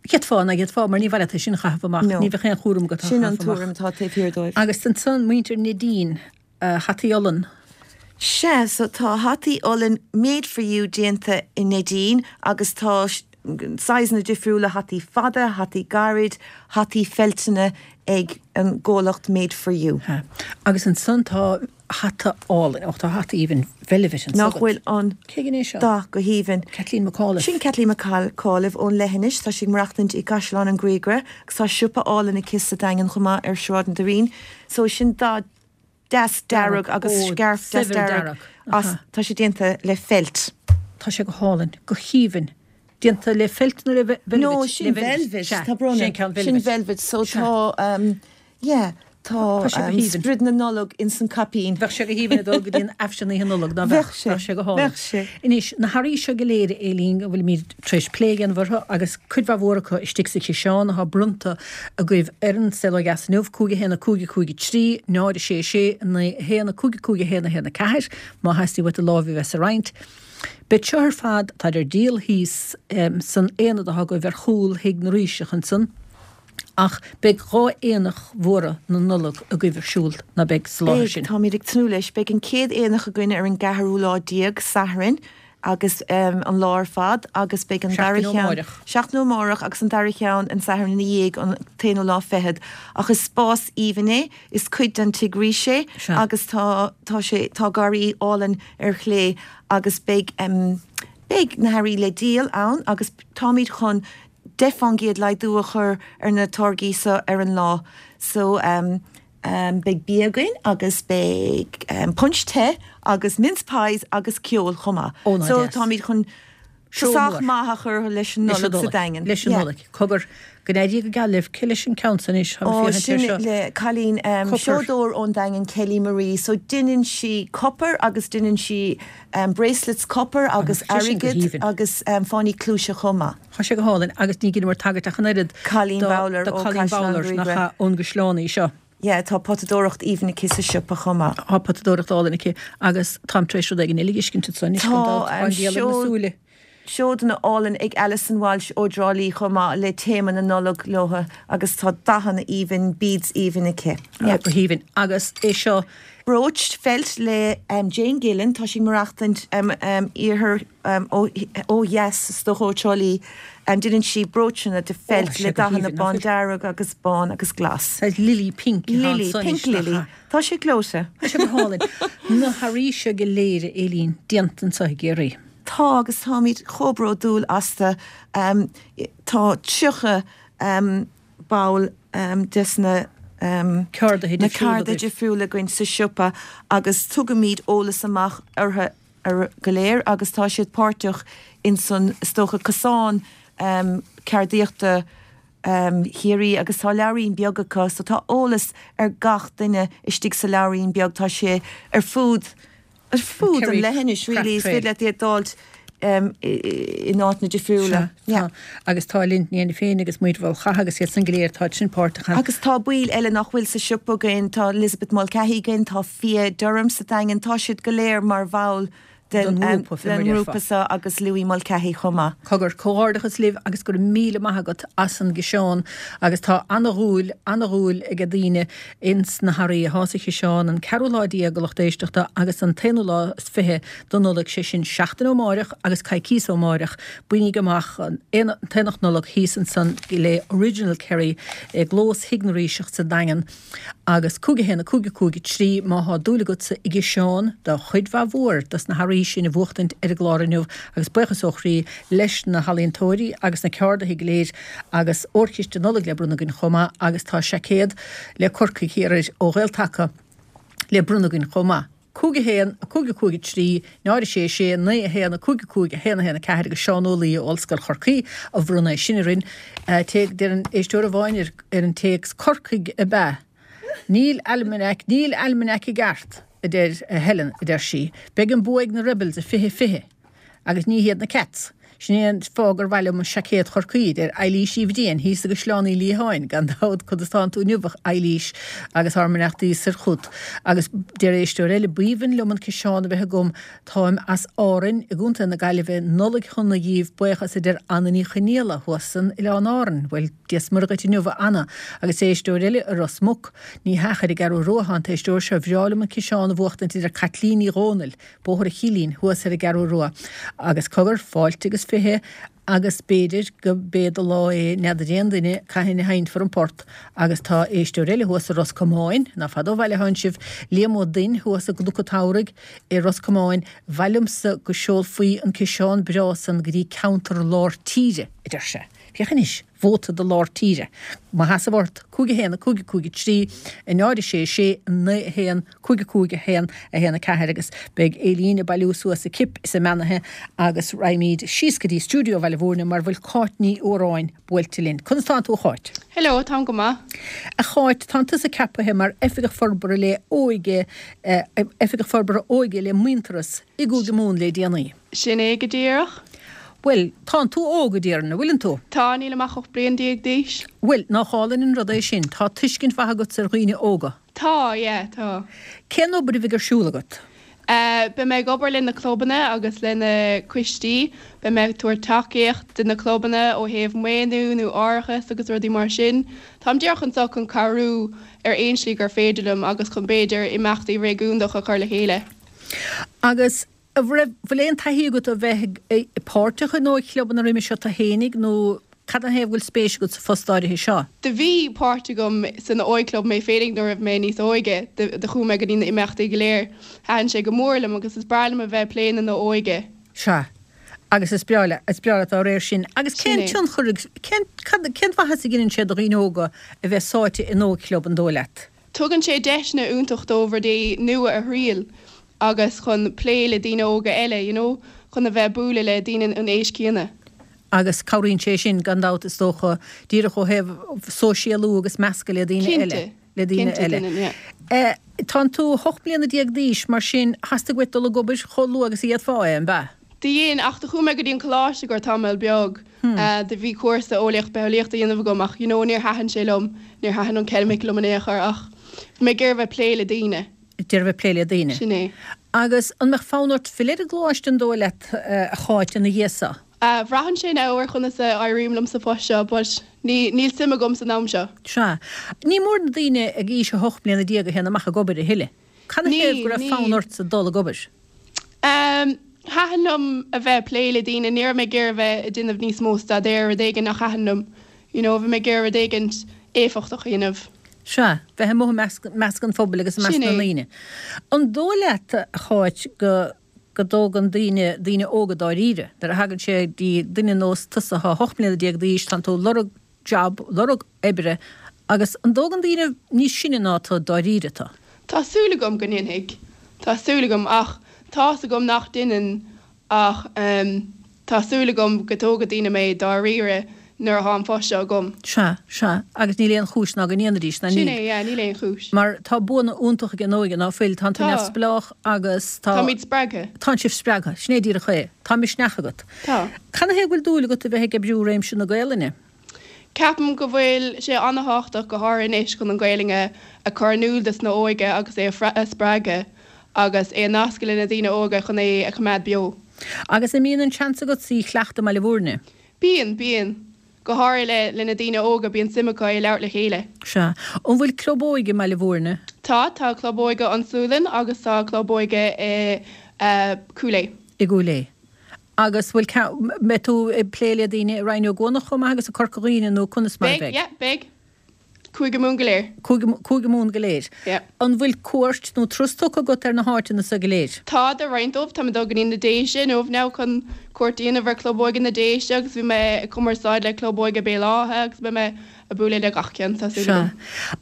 D'fhéadfá, ná d'fhéadfá, mar ní mhaith leat é sin a chaitheamh amach. Ní bheadh aon chúram agat á chaitheamh amach. Sin an tuairim atá taobh thiar dóibh. Agus ansan muintir Neidín, hataí olann. Sea, so tá hataí olann made for you déanta i Neidín agus tá saghsanna difriúla, hataí fada, hataí gairid, hataí feilteanna ag an gcomhlacht Made for You. Sea. Agus ansan tá hata álainn, och tá hata aoibhinn veilbhit anso Nach bhfuil an Cé ghin é seo? dath go haoibhinn. Kathleen McAuliffe. Sin Kathleen McAuliffe ón Leithinis, tá sí ag maireachtaint i gCaisleán an Bharraigh agus tá siopa álainn aici sa Daingean chomh maith ar Sráid an Doirín. So sin dath deas dearg agus scairf deas dearg as, tá sé déanta le feilt. Tá sé go hálainn, go haoibhinn. Déanta le feilt nó le veilbhit? No, sin velvet, tá brón orm. Sin velvet, so tá, yeah, tá sprid na Nollag ins an caipín. Bheadh sé go haoibhinn ag dul go dtí an Aifreann Oíche Nollag, ná beadh? Bheadh sé. Bheadh sé go hálainn. Bheadh sé. Anois, na hearraí seo go léir, a Aileen, a bhfuilimid tar éis plé a dhéanamh orthu agus cuid mhaith mhór acu istigh sa chiseán atá bronnta agaibh ar an Saol Ó Dheas inniu, 5 1 5 5 3 0 6 6 9 1 5 5 1 1 4, má theastaíonn uait do lámh a bheith sa roinnt. Beidh seo ar fad, táid ar díol thíos san aonad atá agaibh ar chúl Thigh na Ríseach ansan, ach beidh 2 aonach mhóra na Nollag agaibh ar siúl, ná beidh, sa láthair Beidh, sin? táimid ag tnúth leis. Beidh an chéad aonach againn ar an gceathrú lá déag, Satharn, agus an lá ar fad agus beidh an dara Seachtain ó cheann, amárach. seachtain ó amárach agus an dara cheann an Satharn ina dhiaidh, an t-aonú lá fichead. Ach is spás aoibhinn é, is cuid den Tigh Rís é Sea. agus tá, tá sé, tá garraí álainn ar chlé agus beidh, beidh na hearraí le díol ann agus táimid chun 10% laghdú a chur ar na táirgí seo ar an lá. So, Beidh bia againn agus beidh punch te agus mince pies agus ceol chomh maith. Ó, ná So deas. táimid chun Seó tosach mór. maith a chur leis an Leis an Nollaig sa Nollaig. Daingean. Leis an Yeah. Nollaig. Cogar, go n-éirí go geal libh. Cé leis an ceann san anois? Táim Ó, ag féachaint sin air seo. le cailín Copar. seodóir ón Daingean, Kelly Marie. So deineann sí copar agus deineann sí bracelets copar agus Tá sé sin go airgead haoibhinn. agus fáinní cluaise chomh maith. Tá sé go hálainn agus ní dheineamar tagairt ach an oiread Colleen do Bowler do ó Colleen Caisleán Bowler nach Bhriogra. ea ón gCaisleán í seo. Yeah, tá potadóireacht aoibhinn aici sa siopa chomh maith. Tá potadóireacht álainn aici agus táim tar éis rud éigin eile a fheiscint ansan anois gan dabht, tá an diabhal ar na súile. Seodanna álainn ag Alison Walsh ó dTrá Lí chomh maith le téama na Nollag leotha agus tá dathanna aoibhinn, beads aoibhinn aici. Yeah, go haoibhinn. Agus é seo. Brooch feilt le Jane Gillen, tá sí ag maireachtaint iarthar ó dheas is dócha ó Trá Lí. Déanann sí bróitseanna de feilt le dathanna bándearg agus bán agus glas. Saghas lily pink atá Lily, ansan pink lily. Tá sé gleoite. Tá sé go hálainn. Na hearraí seo go léir, a Éilín, déanta anseo i gCiarraí. Tá agus táimid chomh bródúil astu. Tá 30 ball des na ceardaithe difriúla againn sa siopa agus tugaimid eolas amach orthu go léir agus tá siad páirteach ins an, is dócha, cosán ceardaíochta Chiarraí agus tá leabhairín beag acu so tá eolas ar gach duine istigh sa leabhairín beag, tá sé ar fud ar fud an leithinis really, is féidir leat iad d'fháilt in áiteanna difriúla. Sea, tá. Agus tá Linn Ní féin agus Muintir Bhál Chatha agus iad san go léir, táid sin páirteach ann. Agus tá baill eile nach bhfuil sa siopa againn, tá Elizabeth Mulcahy againn, tá Fia Durham sa Daingean, tá siad go léir mar bhall den ngrúpa seo agus Louis Mulcahy chomh maith. Cogar, comhghairdeachas libh agus go raibh míle maith agat as an gciseán agus tá ana-dhúil, ana-dhúil age daoine ins na hearraí athá sa chiseán, an ceathrú lá déag a lucht éisteachta agus an t-aonú lá is fiche de Nollaig, sé sin seachtain ó máireach agus coicíos ó máireach, bainíg amach an t-aonach Nollag thíos ansan le Original Kerry i gclós Thigh na Ríseach sa Daingean agus 5 1 5 5 3 má thá dúil agatsa i gciseán de chuid mhaith mhór dos na hearraí sin a bhuachtaint ar an gclár inniu agus buíochas ó chroí leis na healaíontóirí agus na ceardaithe go léir agus órchiste Nollag le bronnadh againn chomh maith agus tá seaicéad le Corcaigh thiar air ó Ghael-Taca le bronnadh againn chomh maith. 5 1 5 5 3 0 6 6 9 1 5 5 1 1 4 agus Seán Ó Laoi ó Ollscoil Chorcaí a bhronn é sin orainn. Deir éisteoir amháin ar an téacs Corcaigh ab ea? Níl almanac, níl almanac i gceart, a deir Helen, a deir sí. Beidh an bua ag na Rebels i 2020. Agus ní hiad na Cats. Sin é an fáth gur mhaith liom seaicéad Chorcaí, a deir Eilís Uí Bhriain, thíos i gCaisleán Uí Liatháin, gan dabht, conas tánn tú inniu, a Eilís, agus ár mbeannachtaí soir chugat. Agus deir éisteoir eile, B'aoibhinn liom an ciseán a bheith agam, táim as Árainn i gContae na Gaillimhe, Nollaig shona dhíbh, buíochas, a deir Anna Ní Chonaola, thuas san Oileán Árann. Bhuel, Dia 's Muire dhuit inniu, a Anna. Agus éisteoir eile i Ros Muc, ní hea, ar an gCeathrú Rua atá an t-éisteoir seo, Bhreá liom an ciseán a bhuachtaint, a deir Caitlín Ní Dhomhnaill. Bóthar an Chillín, thuas ar an gCeathrú Rua. Agus cogar, fáilte agus fiche, agus b'fhéidir go b'é do lá é, n'fheadar aon duine cathain a sheinnfear an port, agus tá éisteoir eile thuas i Ros Comáin, ná fada ó bhaile athánn sibh, Liam Ó Duinn thuas i gCnoc an tSamhraidh i Ros Comáin, b'mhaith liomsa go seolfaí an ciseán breá san go dtí ceantar lár tíre, a deir sé. Féach anois! Vóta do lár tíre. Mo sheasamh ort, 5 1 5 5 3 0 6 6 9 1 5 5 1 1 4 agus beidh Éilín ag bailiú suas a cip is a mbeannaithe agus raghaimíd síos go dtí stiúideo Bhaile Bhúirne mar bhfuil Cáit Ní Fhuaráin buailte linn. Conas tánn tú a Cháit? Hello, táim go maith. A Cháit, tánn tusa ceapaithe mar Oifigeach Forbartha le Óige, Oifigeach Forbartha Óige le Muintearas i gCúige Mumhan le déanaí. Sin é go díreach. Bhuel, tánn tú óg, a déarfainn, an bhfuileann tú? Tá, nílim ach 18 bliain d'aois. Bhuel, nách álainn an rud é sin. Tá tuiscint mhaith agatsa ar dhaoine óga. Tá, yeah, tá. Cén obair a bheidh ar siúl agat? Eh, beidh mé ag obair le na clubanna agus le na coistí. Beidh mé ag tabhairt tacaíocht do na clubanna ó thaobh maoiniú nó árachas agus rudaí mar sin. Táim díreach anseo chun cabhrú ar aon slí gur féidir liom agus chun b'fhéidir imeachtaí réigiúnach a chur le chéile. Agus An raibh, bhfuil aon taithí agat ó bheith páirteach in óigchlubanna roimhe seo tú fhéinig nó cad ina thaobh go bhfuil spéis agat sa phost áirithe seo? Do bhí páirt agam san óigchlub mé féinig nuair a bhí mé níos óige. Do chuaigh mé go dtí na imeachtaí go léir. Thaitin sé go mór liom agus is breá liom a bheith ag plé na na óige. Sea. Agus is breá leat, is breá leat dá réir sin. Agus cén tionchar, cén, cad, cén mhaitheas a dheineann sé do dhaoine óga a bheith sáite in óigchlub, an dóigh leat? Tugann sé deiseanna iontach dóibh rudaí nua a thriail. agus chun plé le daoine óga eile, you know, chun a bheith ag bualadh le daoine an aois céanna. Agus cabhraíonn sé sin, gan dabht, is dócha, díreach ó thaobh sóisialú agus meascadh le daoine eile. Cinnte, Le daoine cinnte, eile. déanann, yeah. Tánn tú 18 mbliana d'aois, mar sin, theastaigh uait dul ag obair chomh luath agus a d'fhéadfá é, an b'ea? Do dhein, ach do chuaigh mé go dtí an coláiste go raibh tamall beag. Do bhí cúrsa eolaíocht bitheolaíochta a dhéanamh agam ach, you know, níor thaitin sé liom, níor thaitin an ceimic liom in aon chor ach. Bhí mé ag iarraidh bheith plé le daoine. Ag iarraidh bheith plé le daoine. Sin é. Agus an mbeadh fonn ort filleadh ar an gcoláiste an dóigh leat, a Cháit, ina dhiaidh so? Braitheann sé now ar chonas a éirím liom sa phost seo but ní, níl suim agam san am seo. Sea. Ní mór na daoine ag aois a hocht mbliana déag a théann amach ag obair a thuilleadh. Cad 'na thaobh Níl, go raibh níl. fonn ortsa dul ag obair? Thaitin liom a bheith ag plé le daoine, ní raibh mé ag iarraidh a bheith ag déanamh níos mó staidéir, rud éigin nach thaitin liom, you know, bhí mé ag iarraidh rud éigin éifeachtach a dhéanamh. Sea, bheith amuigh i measc, measc an phobail agus i measc Sin na é. ndaoine. An dóigh leat, a Cháit, go, go dtógann daoine, daoine óga dáiríre, nuair a thagann sé go dtí duine nós tusa atá 18 mbliana d'aois, tánn tú ag lorg job, lorg oibre, agus an dtógann daoine níos sine ná tu dáiríre tu? Tá súil agam go ndéanfaidh. Tá súil agam, ach tá's agam nach ndéanann ach ehm tá súil agam go dtógfaidh daoine mé dáiríre nuair atá an post seo agam. Sea, sea, agus níl aon chúis ná go ndéanfaidís, ná Sin níl. é, yeah, níl aon chúis. Mar tá buanna iontach ag an óige, ná fuil? Tánn tú Tá. neamhspleách agus tá. Táimid spreagtha. Tánn sibh spreagtha. Sin é díreach é. Tá misneach agat. Tá. Cad 'na thaobh go bhfuil dúil agat a bheith ag oibriú i réimse na Gaelainne? Ceapaim go bhfuil sé ana-thábhachtach go háirithe anois chun an Ghaelainn a chur in iúl dos na óige agus é a spreagadh agus é a nascadh le na daoine óga chun é a choimeád beo. Agus an mbíonn an seans agat í a chleachtadh i mBaile Bhúirne? Bíonn, bíonn. Go háirithe le le na daoine óga bíonn suim acu é a labhairt le chéile. Sea. An bhfuil club óige i mBaile Bhúirne? Tá, tá club óige An Sualainn agus tá club óige i Cúil Aodha. I gCúil Aodha. Agus bhfuil ceann, mbeidh tú ag plé le daoine i Rinn Ó gCuanach chomh maith agus i Corca Dhuibhne nó conas mar a Beidh, bheidh? yeah, beidh. Cúige Mumhan go léir. Cúige, Cúige Mumhan go léir. Yeah. An bhfuil cuairt nó turas tugtha agat ar na háiteanna so go léir? Tá, do roinnt dóibh. Tá mé ag dul go dtí na Déise inniu now chun cuairt a dhéanamh ar Club Óige na Déise agus bhí mé ag cumarsáid le Club Óige Béal Átha agus beidh mé ag bualadh le gach ceann, tá súil Sea. agam.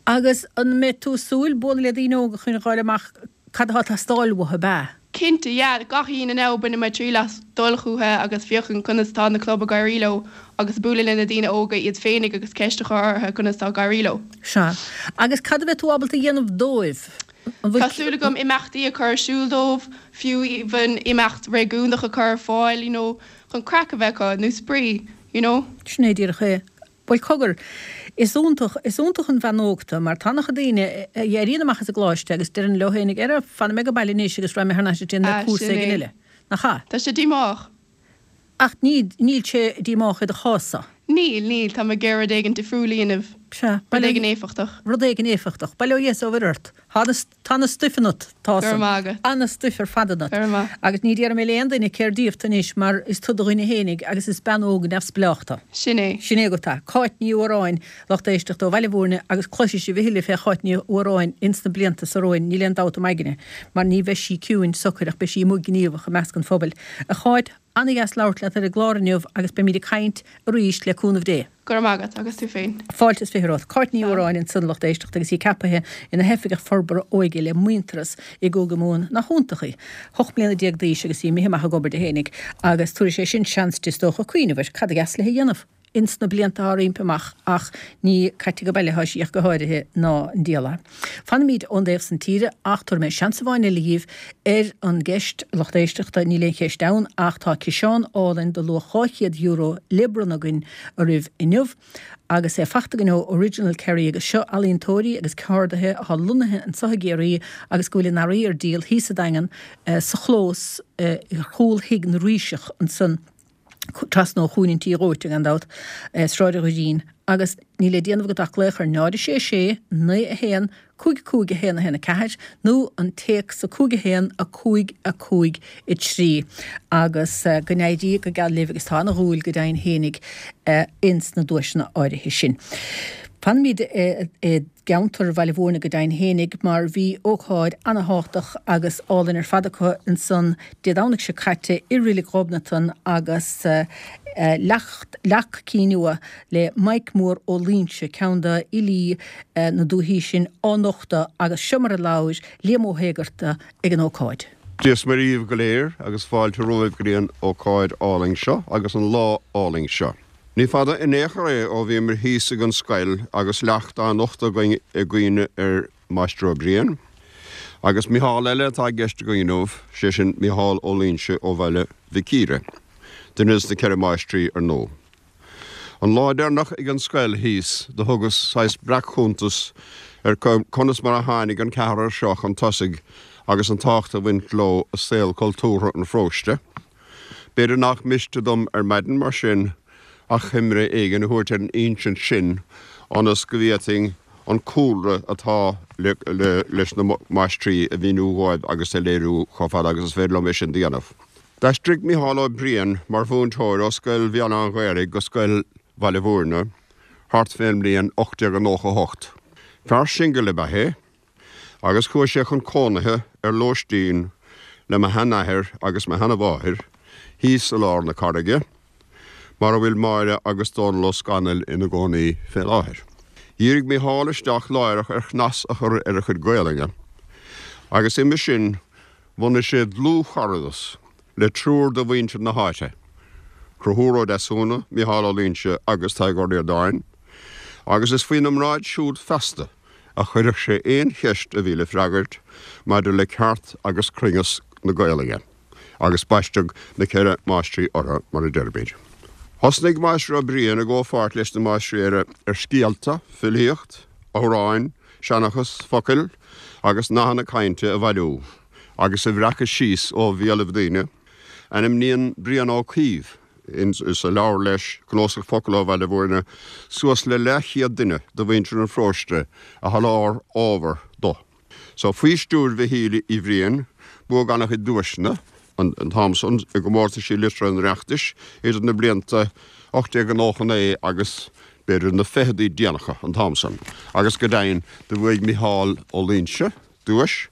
Agus an mbeidh tú ag súil bualadh le daoine óga chun a fháil amach Cad atá ag teastáil uathu, ab ea? Cinnte, yeah. Gach Aoine now bainfidh mé triail as dul chucu agus féachaint conas tá na club ag éirí leo agus bualadh le na daoine óga iad féinig agus ceist a chur orthu conas tá ag éirí leo. Sea. Agus cad a bheidh tú ábalta a dhéanamh dóibh? An bhfuil. Tá súil agam imeachtaí a chur ar siúl dóibh, fiú even imeacht réigiúnach a chur ar fáil, you know, chun craic a bheith acu, nó spraoi, you know. Sin é díreach é. Bhuel, cogar, is iontach, is iontach an bhean óg tu, mar tá an-chuid daoine a éiríonn amach as an gcoláiste agus deireann leo féinig, Ara, fanfaidh mé ag baile anois agus raghaidh mé thar n-ais ag déanamh Ah, cúrsa sin éigin é. eile. Nach ea? Tá sé díomách. Ach ní, níl sé díomách i do chás-sa. Níl, níl, tá mé ag iarraidh rud éigin difriúil a dhéanamh. Sea, Rud éigin éifeachtach. Rud éigin éifeachtach. Bail ó Dhia is ó Mhuire ort. Tá na, tá na stuif ionat, tá Go raibh san. maith agat. Ana stuif ar fad ionat. Go raibh maith. Agus ní déarfaidh mé le aon duine cér díobh tu anois mar is tu do dhuine fhéinig agus is bean óg neamhspleách tu. Sin é. Sin é agat é. Cáit Ní Fhuaráin, lucht éisteachta ó Bhaile Bhúirne agus cloisfidh sibh a thuilleadh fé Cháit Ní Fhuaráin ins na blianta so romhainn, níl aon dabht im aigne, mar ní bheidh sí ciúin socair ach beidh sí amuigh gníomhach i measc an phobail. A Cháit, ana-dheas labhairt leat ar an gclár inniu agus beimíd ag caint arís le cúnamh Dé. Go raibh maith agat, agus tú féin. Fáilte is 20 romhat. Cáit Ní Fhuaráin ansan, lucht éisteachta, agus í ceapaithe ina hOifigeach Forbartha Óige le Muintearas i gCúige Mumhan. Nach iontach í? 18 mbliana d'aois agus í imithe amach ag obair di fhéinig agus tabharfaidh sé sin seans di is dócha cuimhneamh ar cad a dheas léi a dhéanamh ins na blianta atá roimpi amach ach ní caite ag baile atá sí ach go háirithe ná an diabhal é. Fanfaimid ón dtaobh san tíre ach tabharfaidh mé seans amháin eile dhíbh ar an gceist, lucht éisteachta, níl aon cheist ann ach tá ciseán álainn de luach €200 le bronnadh againn oraibh inniu agus é fachta againn ó Original Kerry agus seo ealaíontóirí agus ceardaithe atá lonnaithe anseo i gCiarraí agus go bhfuil a n-earraí ar díol thíos sa Daingean sa chlós ar chúl Thigh na Ríseach ansan. trasna ó Chúinne an Tí Dhóite, gan dabht, Sráid an Dhoirín, agus níl le déanamh agat ach glaoch ar 0 6 6 9 1 5 5 1 1 4 nó an téacs 5 1 5 5 3 agus go n-éirí go geal libh agus tá ana-dhúil go deimhin fhéinig ins na duaiseanna áirithe sin. Fanfaimid i. gceantar Bhaile Bhúirne go deimhin fhéinig mar bhí ócáid ana-thábhachtach agus álainn ar fad acu ansan Dé Domhnaigh seo caite i Reilig Ghobnatan agus leacht leac cinn nua le Maidhc Mór Ó Loingsigh, ceann de fhilí na dúichí sin, á nochtadh agus seo mar a labhair Liam Ó hÉigearta ag an ócáid. Dia is Muire dhíbh go léir agus fáilte romhaibh go dtí an ócáid álainn seo agus an lá álainn seo. Ní fada in aon chor é ó bhíomar thíos ag an scoil agus leacht á nochtadh againn i gcuimhne ar Mháistir Ó Briain. Agus Micheál eile atá i gceist againn inniu, sé sin Micheál Ó Loingsigh ó Bhaile Mhic Íre, duine des na Ceithre Máistrí ar ndóigh. An lá deireanach ag an scoil thíos do thugas saghas breac-chuntas. ar conas mar a tháinig an ceathrar seo chun tosaigh agus an tábhacht a bhain leo i saol cultúrtha an pharóiste. B'fhéidir nach miste dom ar maidin mar sin achoimre éigin a thabhairt ar an insint sin ionas go bhféadfainn an cúlra atá leis na máistrí a mhíniú dhóibh agus a léiriú chomh fada agus is féidir liom é sin do dhéanamh. D'aistrigh Micheál Ó Briain mar mhúinteoir ó Scoil Bhéal Átha an Ghaorthaidh go Scoil Bhaile Bhúirne thart fén mbliain 1898. Fear singil ab ea é agus chuaigh sé chun cónaithe ar lóistín le mo sheanathair agus mo sheanamháthair thíos i lár na Carraige, mar a bhfuil Máire agus Dónal Ó Scanaill ina gcónaí fé láthair. Dhírigh Micheál isteach láithreach ar chnas a chur ar a chuid Gaolainne agus uime sin bhunaigh sé dlúthcharadas le triúr de mhuintir na háite, Conchúr Ó Deasúna, Micheál Ó Loingsigh agus Tadhg Ó Ríordáin, agus is faoina mbráid siúd feasta a chuirfeadh sé aon cheist a bhí le freagairt maidir le ceart agus cruinneas na Gaolainne, agus baisteadh na Ceithre Máistrí orthu, mar a deirimid. Thosnaigh Máistir Ó Briain i gcomhpháirt leis na máistrí eile ar scéalta, filíocht, amhráin, seanchas, focail agus nathanna cainte a bhailiú agus a bhreacadh síos ó bhéalaibh daoine. Ainmníonn Brian Ó Cuív sa leabhar leis, Cnuasach Focal ó Bhaile Bhúirne, suas le leathchéad duine de mhuintir an pharóiste a sholáthair ábhar do. So, faoi stiúir Mhichíl Uí Bhriain, buadh an-chuid duaiseanna an t-am san i gcomórtaisí liteartha an Oireachtais idir na blianta 1899 agus b'fhéidir na ficheadaí déanacha an t-am san, agus go deimhin do bhuaigh Micheál Ó Loingsigh duais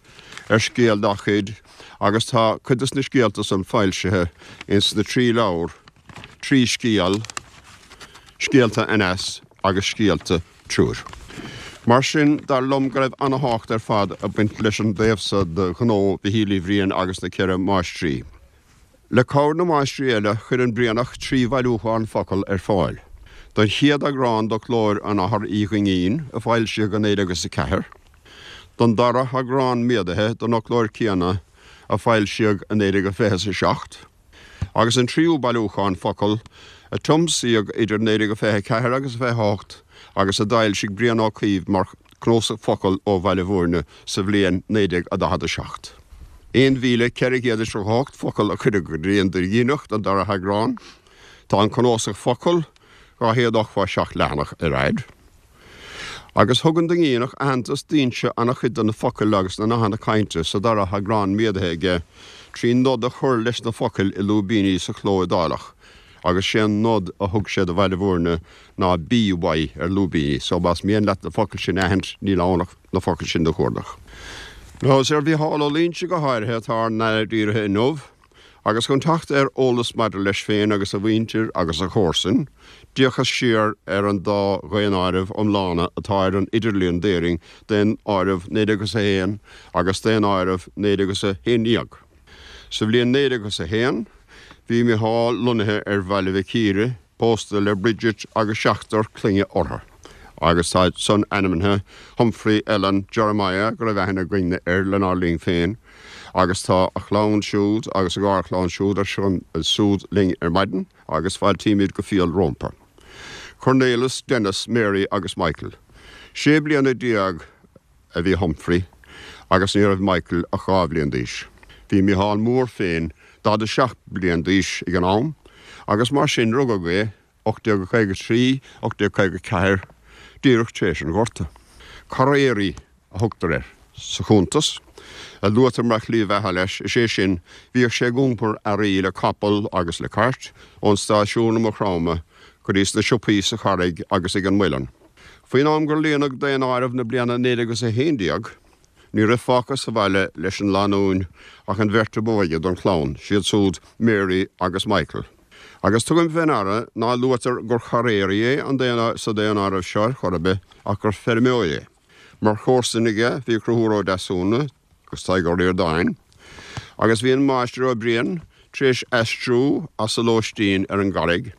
ar scéal dá chuid agus tá cuid de na scéalta san foilsithe ins na trí leabhar, Trí Scéal, Scéalta Aneas agus Scéalta Triúir. Mar sin, dar liom go raibh ana-thábhacht ar fad ag baint leis an dtaobh so de ghnó Mhichíl Uí Bhriain agus na Ceithre Máistrí. Le cabhair na máistrí eile, chuir an Brianach 3 bhailiúchán focal ar fáil. Don chéad eagrán d'fhoclóir an Athar Uí Dhuinnín, a foilsíodh i 1904, don dara heagrán méadaithe den fhoclóir céanna, a foilsíodh i 1927, agus an tríú bailiúchán focal, a tiomsaíodh idir 1924 agus 28 agus a d'fhoilsigh Brian Ó Cuív mar Cnuasach Focal ó Bhaile Bhúirne sa bhliain 1947. 1,438 focal a cuireadh go dtí an Duinníneach don dara heagrán. Tá an cnuasach focal 287 leathanach ar fhaid. Agus thug an Duinníneach aitheantas d'fhoinse an-chuid de na focail agus na nathanna cainte sa dara heagrán méadaithe aige trí nod a chur leis na focail i lúibíní sa chló iodálach agus sé an nod a thug sé do Bhaile Bhúirne ná BY ar lúibíní so más mian leat na focail sin a aithint níl ann ach na focail sin do chuardach. Now is ar Mhicheál Ó Loingsigh go háirithe atá ár n-aird dírithe inniu agus chun teacht ar eolas maidir leis féin agus a mhuintir agus a chomharsain, d'fhéachas siar ar an dá dhaonáireamh iomlána atá ar an idirlíon d'Éirinn, Daonáireamh 1901 agus Daonáireamh 1911. Sa bhliain 1901 bhí Micheál lonnaithe ar Bhaile Mhic Íre, pósta le Bridget agus seachtar clainne orthu, agus táid san ainmnithe, Humphrey, Ellen, Jeremiah, go raibh aithne againne air lenár linn féin, agus tá a chlann siúd agus a gharchlann siúd ansúd linn ar maidin agus fáiltímid go fial rómpa. Cornelius, Denis, Mary agus Michael. 16 bliana a bhí Humphrey agus ní raibh Michael ach 2 bhliain d'aois. Bhí Micheál Mór féin 47 bliain d'aois ag an am agus mar sin rugadh é 1853, 1854, díreach tar éis an Ghorta. Carraeirí a thugtar air sa chuntas, a luaitear mar shlí bheatha leis, is é sin, bhíodh sé ag iompar earraí le capall agus le cairt ón stáisiún i Maigh Chromtha go dtí sna siopaí sa Charraig agus ag an Muileann. Faoin am gur líonadh daonáireamh na bliana 1911, ní raibh fágtha sa bhaile leis an lánúin ach an bheirt ab óige den chlann, siad súd Mary agus Michael. Agus tugaim fé ndeara ná luaitear gur charraeirí é an sa daonáireamh seo ar chor ar bith ach gur feirmeoir é. Mar chomharsain aige bhí Conchúr Ó Deasúna agus Tadhg Ó Ríordáin, agus bhí an Máistir Ó Briain tar éis aistriú as a lóistín ar an gCarraig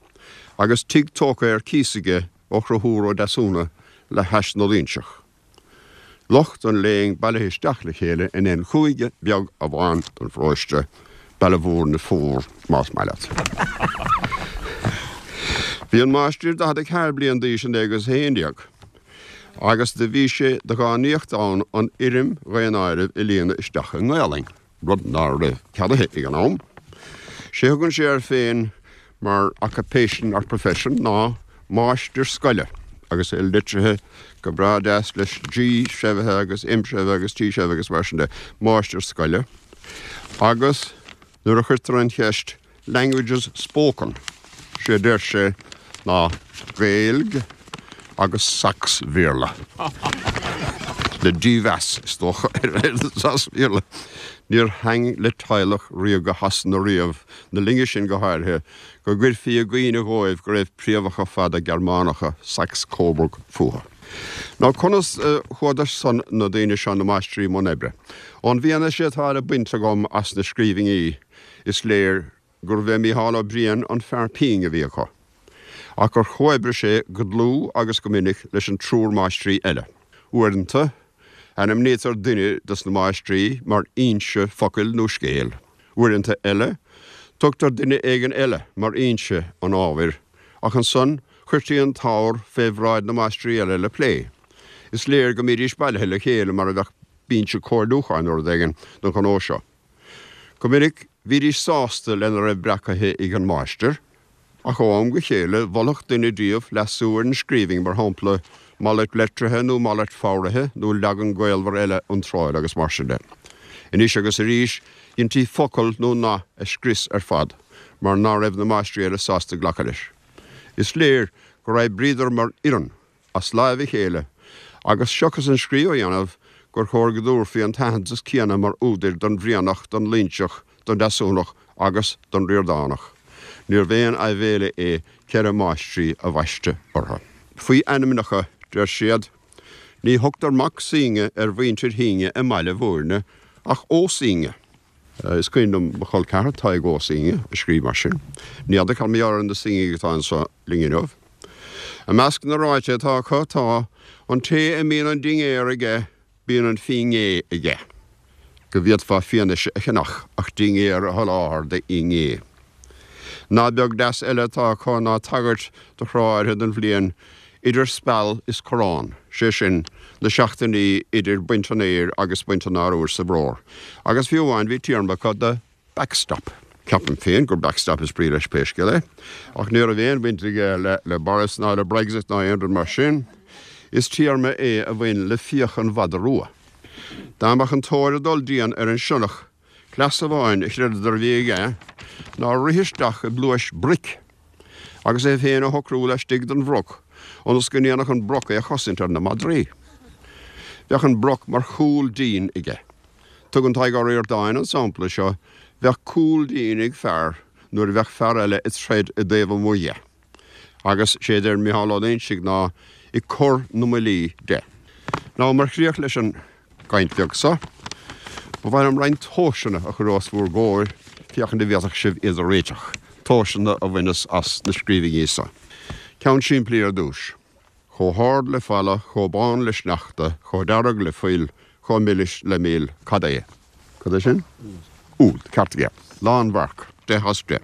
agus tigh tógtha ar cíos aige ó Chonchúr Ó Deasúna le hais na Loingseach. Lucht an léinn bailithe isteach le chéile in aon chúige beag amháin den pharóiste, Baile Bhúirne Fuar, más maith leat. Bhí an Máistir 44 bliain d'aois in 1911. Agus do bhí sé de dhánaíocht ann an fhoirm dhaonáirimh a líonadh isteach i nGaelainn, rud ná raibh ceadaithe ag an am. Sé a thugann sé air féin mar occupation or profession ná máistir scoile agus é litrithe go breá deas leis G seimhithe agus M seimhithe agus T seimhithe agus mar sin de, máistir scoile. Agus nuair a chuirtear an cheist languages spoken, sé a deir sé ná Gaeilg agus Sacs-Bhéarla. Le dímheas, is dócha, ar an Sacs-Bhéarla. Níor thaitn le teaghlach ríoga Shasana riamh, na linne sin go háirithe, go gcuirfí i gcuimhne dhóibh go raibh préamhacha fada Gearmánacha, Saxe-Coburg, fúthu. Now conas a chuadar san na daoine seo, na máistrí i mbun oibre? Ón bhfianaise atá le baint agam as na scríbhinní, is léir gurbh é Mícheál Ó Briain an fear pinn a bhí acu, ach gur chomhoibrigh sé go dlúth agus go minic leis an triúr máistrí eile. Uaireanta, ainmnítear duine de sna máistrí mar fhoinse focail nó scéil. Uaireanta eile, tugtar duine éigin eile mar fhoinse an ábhair, ach ansan chuirtí an t-ábhar fé bhráid na máistrí eile le plé. Is léir go mbídís bailithe le chéile mar a bheadh binse comhairliúcháin nó rud éigin don ghnó seo. Go minic, bhídís sásta lena raibh breacaithe ag an máistir, ach ó am go chéile mholfadh duine díobh leasú ar an scríbhinn, mar shampla, malairt leitrithe nó malairt foghraithe nó leagan gaolmhar eile a iontráil agus mar sin de. Anois agus arís, dheintí focal nó nath a scrios ar fad mar ná raibh na máistrí eile sásta glacadh leis. Is léir gur oibríodar mar fhoireann as láimh a chéile, agus seachas an scríobh a dhéanamh, gur chóir go dtabharfaí an t-aitheantas céanna mar údair don Bhrianach, don Loingseach, don Deasúnach agus don Ríordánach. Níorbh aon aibhéile é ceithre máistrí a bhaisteadh orthu. Faoi ainmneacha, deir siad, ní thugtar Mac Suinge ar mhuintir Shuinge i mBaile Bhúirne ach Ó Suinge. Is cuimhin liom mo chol ceathrar, Tadhg Ó Suinge, a scríobh mar sin. Ní fheadar cad mar gheall ar na Suingigh atá anseo linn inniu. I measc na ráite atá acu tá, An té a mbíonn an dinnéar aige, bíonn an fínné aige. Go bhféadfá fianaise a cheannach ach dinnéar a sholáthar d'fhinné. Nath beag deas eile atá acu ná tagairt do thráth áirithe den bhliain idir speal is corrán, sé sin, na seachtainí idir baint an fhéir agus baint an arbhair sa bhfómhar. Agus fiú amháin bhí téarma acu do backstop. Ceapaim féin gur backstop is brí leis pé scéal é, ach ní raibh aon bhaint aige le Boris ná le Brexit ná aon rud mar sin. Is téarma é a bhain le fiach an mhada rua. Dá mbeadh an tóir ag dul dian ar an sionnach, Cleas amháin a chreideadar a bhí aige ná rith isteach i bpluais broic agus é féin a shocrú laistigh den bhroc ionas go ndéanfadh an broc é a chosaint ar na madraí. Bheadh an broc mar chúl dín aige. Tugann Tadhg Ó Ríordáin an sampla seo, bheadh cúl dín ag fear nuair a bheadh fear eile ag troid i dtaobh amuigh dhe. Agus sé a deir Micheál Ó Loingsigh ná ag cur na mbuillí de. Now mar chríoch leis an gcaint bheag so, ba mhaith liom roinnt tomhaiseanna a chur os bhúr gcomhair féachaint an bhféadfadh sibh iad a réiteach, tomhaiseanna a bhaineas as na scríbhinní so. Ceann simplí ar dtúis. Chomh hard le falla, chomh bán le sneachta, chomh dearg le fuil, chomh milis le mil, cad é? Cad é sin? Úll. Ceart aige. Lánmharc. 10 as 10.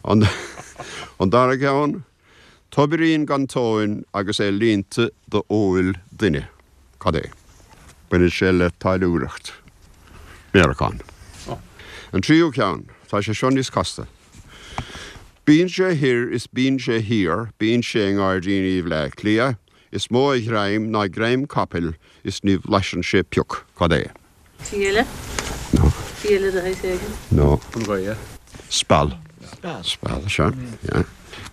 An dara ceann, Tobairín gan tóin agus é líonta d'fheoil duine. Cad é? Baineann sé le táilliúireacht. Méaracán. An tríú ceann, tá sé seo níos casta. Bíonn sé thoir is bíonn sé thiar, bíonn sé i ngairdíní Bhleá Cliath, is mó a ghreim ná greim capaill is ní bhlaiseann sé pioc. Cad é? Fiaile? No. Fiaile de shaghas éigin? No. An ghaoth? Speal. Speal, sea. Yeah.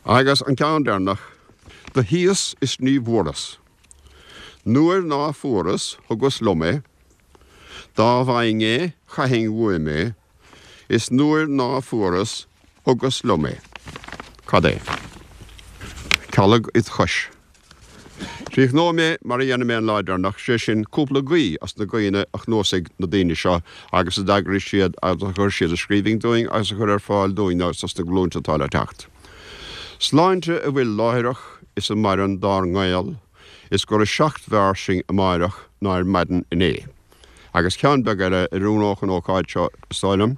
Agus an ceann deireanach, Do shuíos is ní bhfuaras. Nuair ná fuaras, thugas liom é. Dá bhfaighinn é, chaithfinn uaim é. Is nuair ná fuaras, thugas liom é. Cad é? Calg id chois. Críochnóidh mé mar a dhéanfaidh mé an lá deireanach, sé sin, cúpla guí as na guíonna a chnuasaigh na daoine seo agus a d'eagraigh siad agus a chuir siad i scríbhinn dúinn agus a chuir ar fáil dúinn agus dos na glúinte atá le teacht. Sláinte a bhfuil láithreach is a maireann dár ngaol is gura seacht mb'fhearr sinn amáireach ná ar maidin inné. Agus ceann beag eile a oiriúnódh an ócáid seo, is dóigh liom.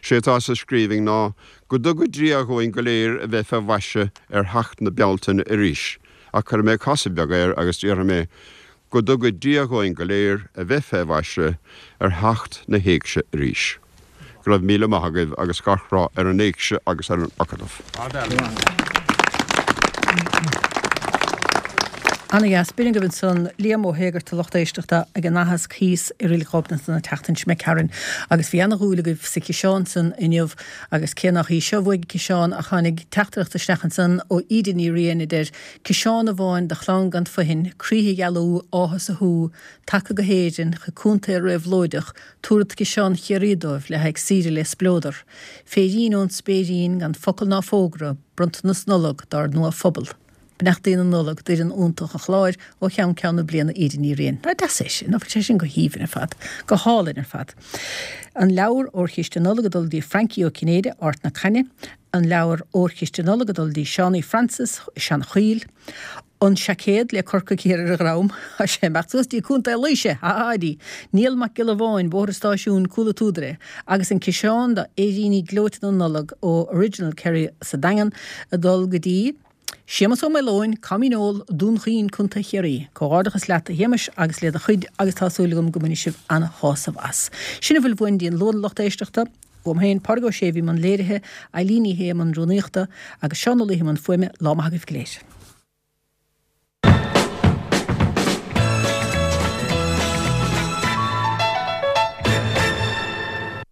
Sé atá sa scríbhinn ná, Go dtuga Dia dhúinn go léir a bheith fé mhaise ar theacht na Bealtaine arís. Ach cuirfidh mé casadh beag air agus déarfaidh mé, Go dtuga Dia dhúinn go léir a bheith fé mhaise ar theacht na hÉigse arís. Go raibh míle maith agaibh agus gach rath ar an Éigse agus ar an Acadamh. Ana-dheas. B'in agaibh ansan Liam Ó hÉigeartaigh a lucht éisteachta ag an aitheasc thíos i Reilig Ghobnait an tseachtain seo imigh tharainn agus bhí ana-dhúil agaibh sa chiseán san inniu agus cé nach í seo a bhuaigh an ciseán ach tháinig teachtaireacht isteach ansan ó Íde Ní Riain a deir Ciseán amháin do chlann gan phuinn, croíthe a ghealú, áthas a shú, tagtha go hÉirinn, chuig contae réabhlóideach, tabharfad ciseán Chiarraí dóibh le haghaidh saoire le spleodar. Féirín ón spéirín gan focal ná fógra, bronntanas Nollag dár nua-phobal. Beannachtaí na Nollag d'fhoireann iontach an chláir ó cheann ceann na bliana Íde Ní Riain. Nach deas é sin, nach bhfuil sé sin go haoibhinn ar fad, go hálainn ar fad. An leabhar Órchiste Nollag ag dul dtí Frankie Ó Cinnéide, Ard na Caithne. An leabhar Órchiste Nollag ag dul dtí Seánie Francis i Seanchoill. An seaicéad le Corcaigh Thiar ar a dhrom. Tá sé ag imeacht suas dtí Contae Laoise! Ha ha dtí Niall Mac Giolla Bháin, Bóthar an Stáisiúin, Cúl an tSúdaire. Agus an ciseán do fhéiríní gleoite na Nollag ó Original Kerry sa Daingean ag dul go dtí Séamus Ó Maoileoin, Coimín Óil, Dún Chaoin, Contae Chiarraí. Comhghairdeachas leat a Shéamais agus le do chuid agus tá súil agam go mbainfidh sibh an-shásamh as. Sin a bhfuil uainn dtí an Luan a lucht éisteachta. Uaim féin, Pádraig Ó Sé a bhí i mbun léirithe, Eileen Ní Shé i mbun rúnaíochta agus Seán Ó Laoithe i mbun fuaime, lá maith agaibh go léir.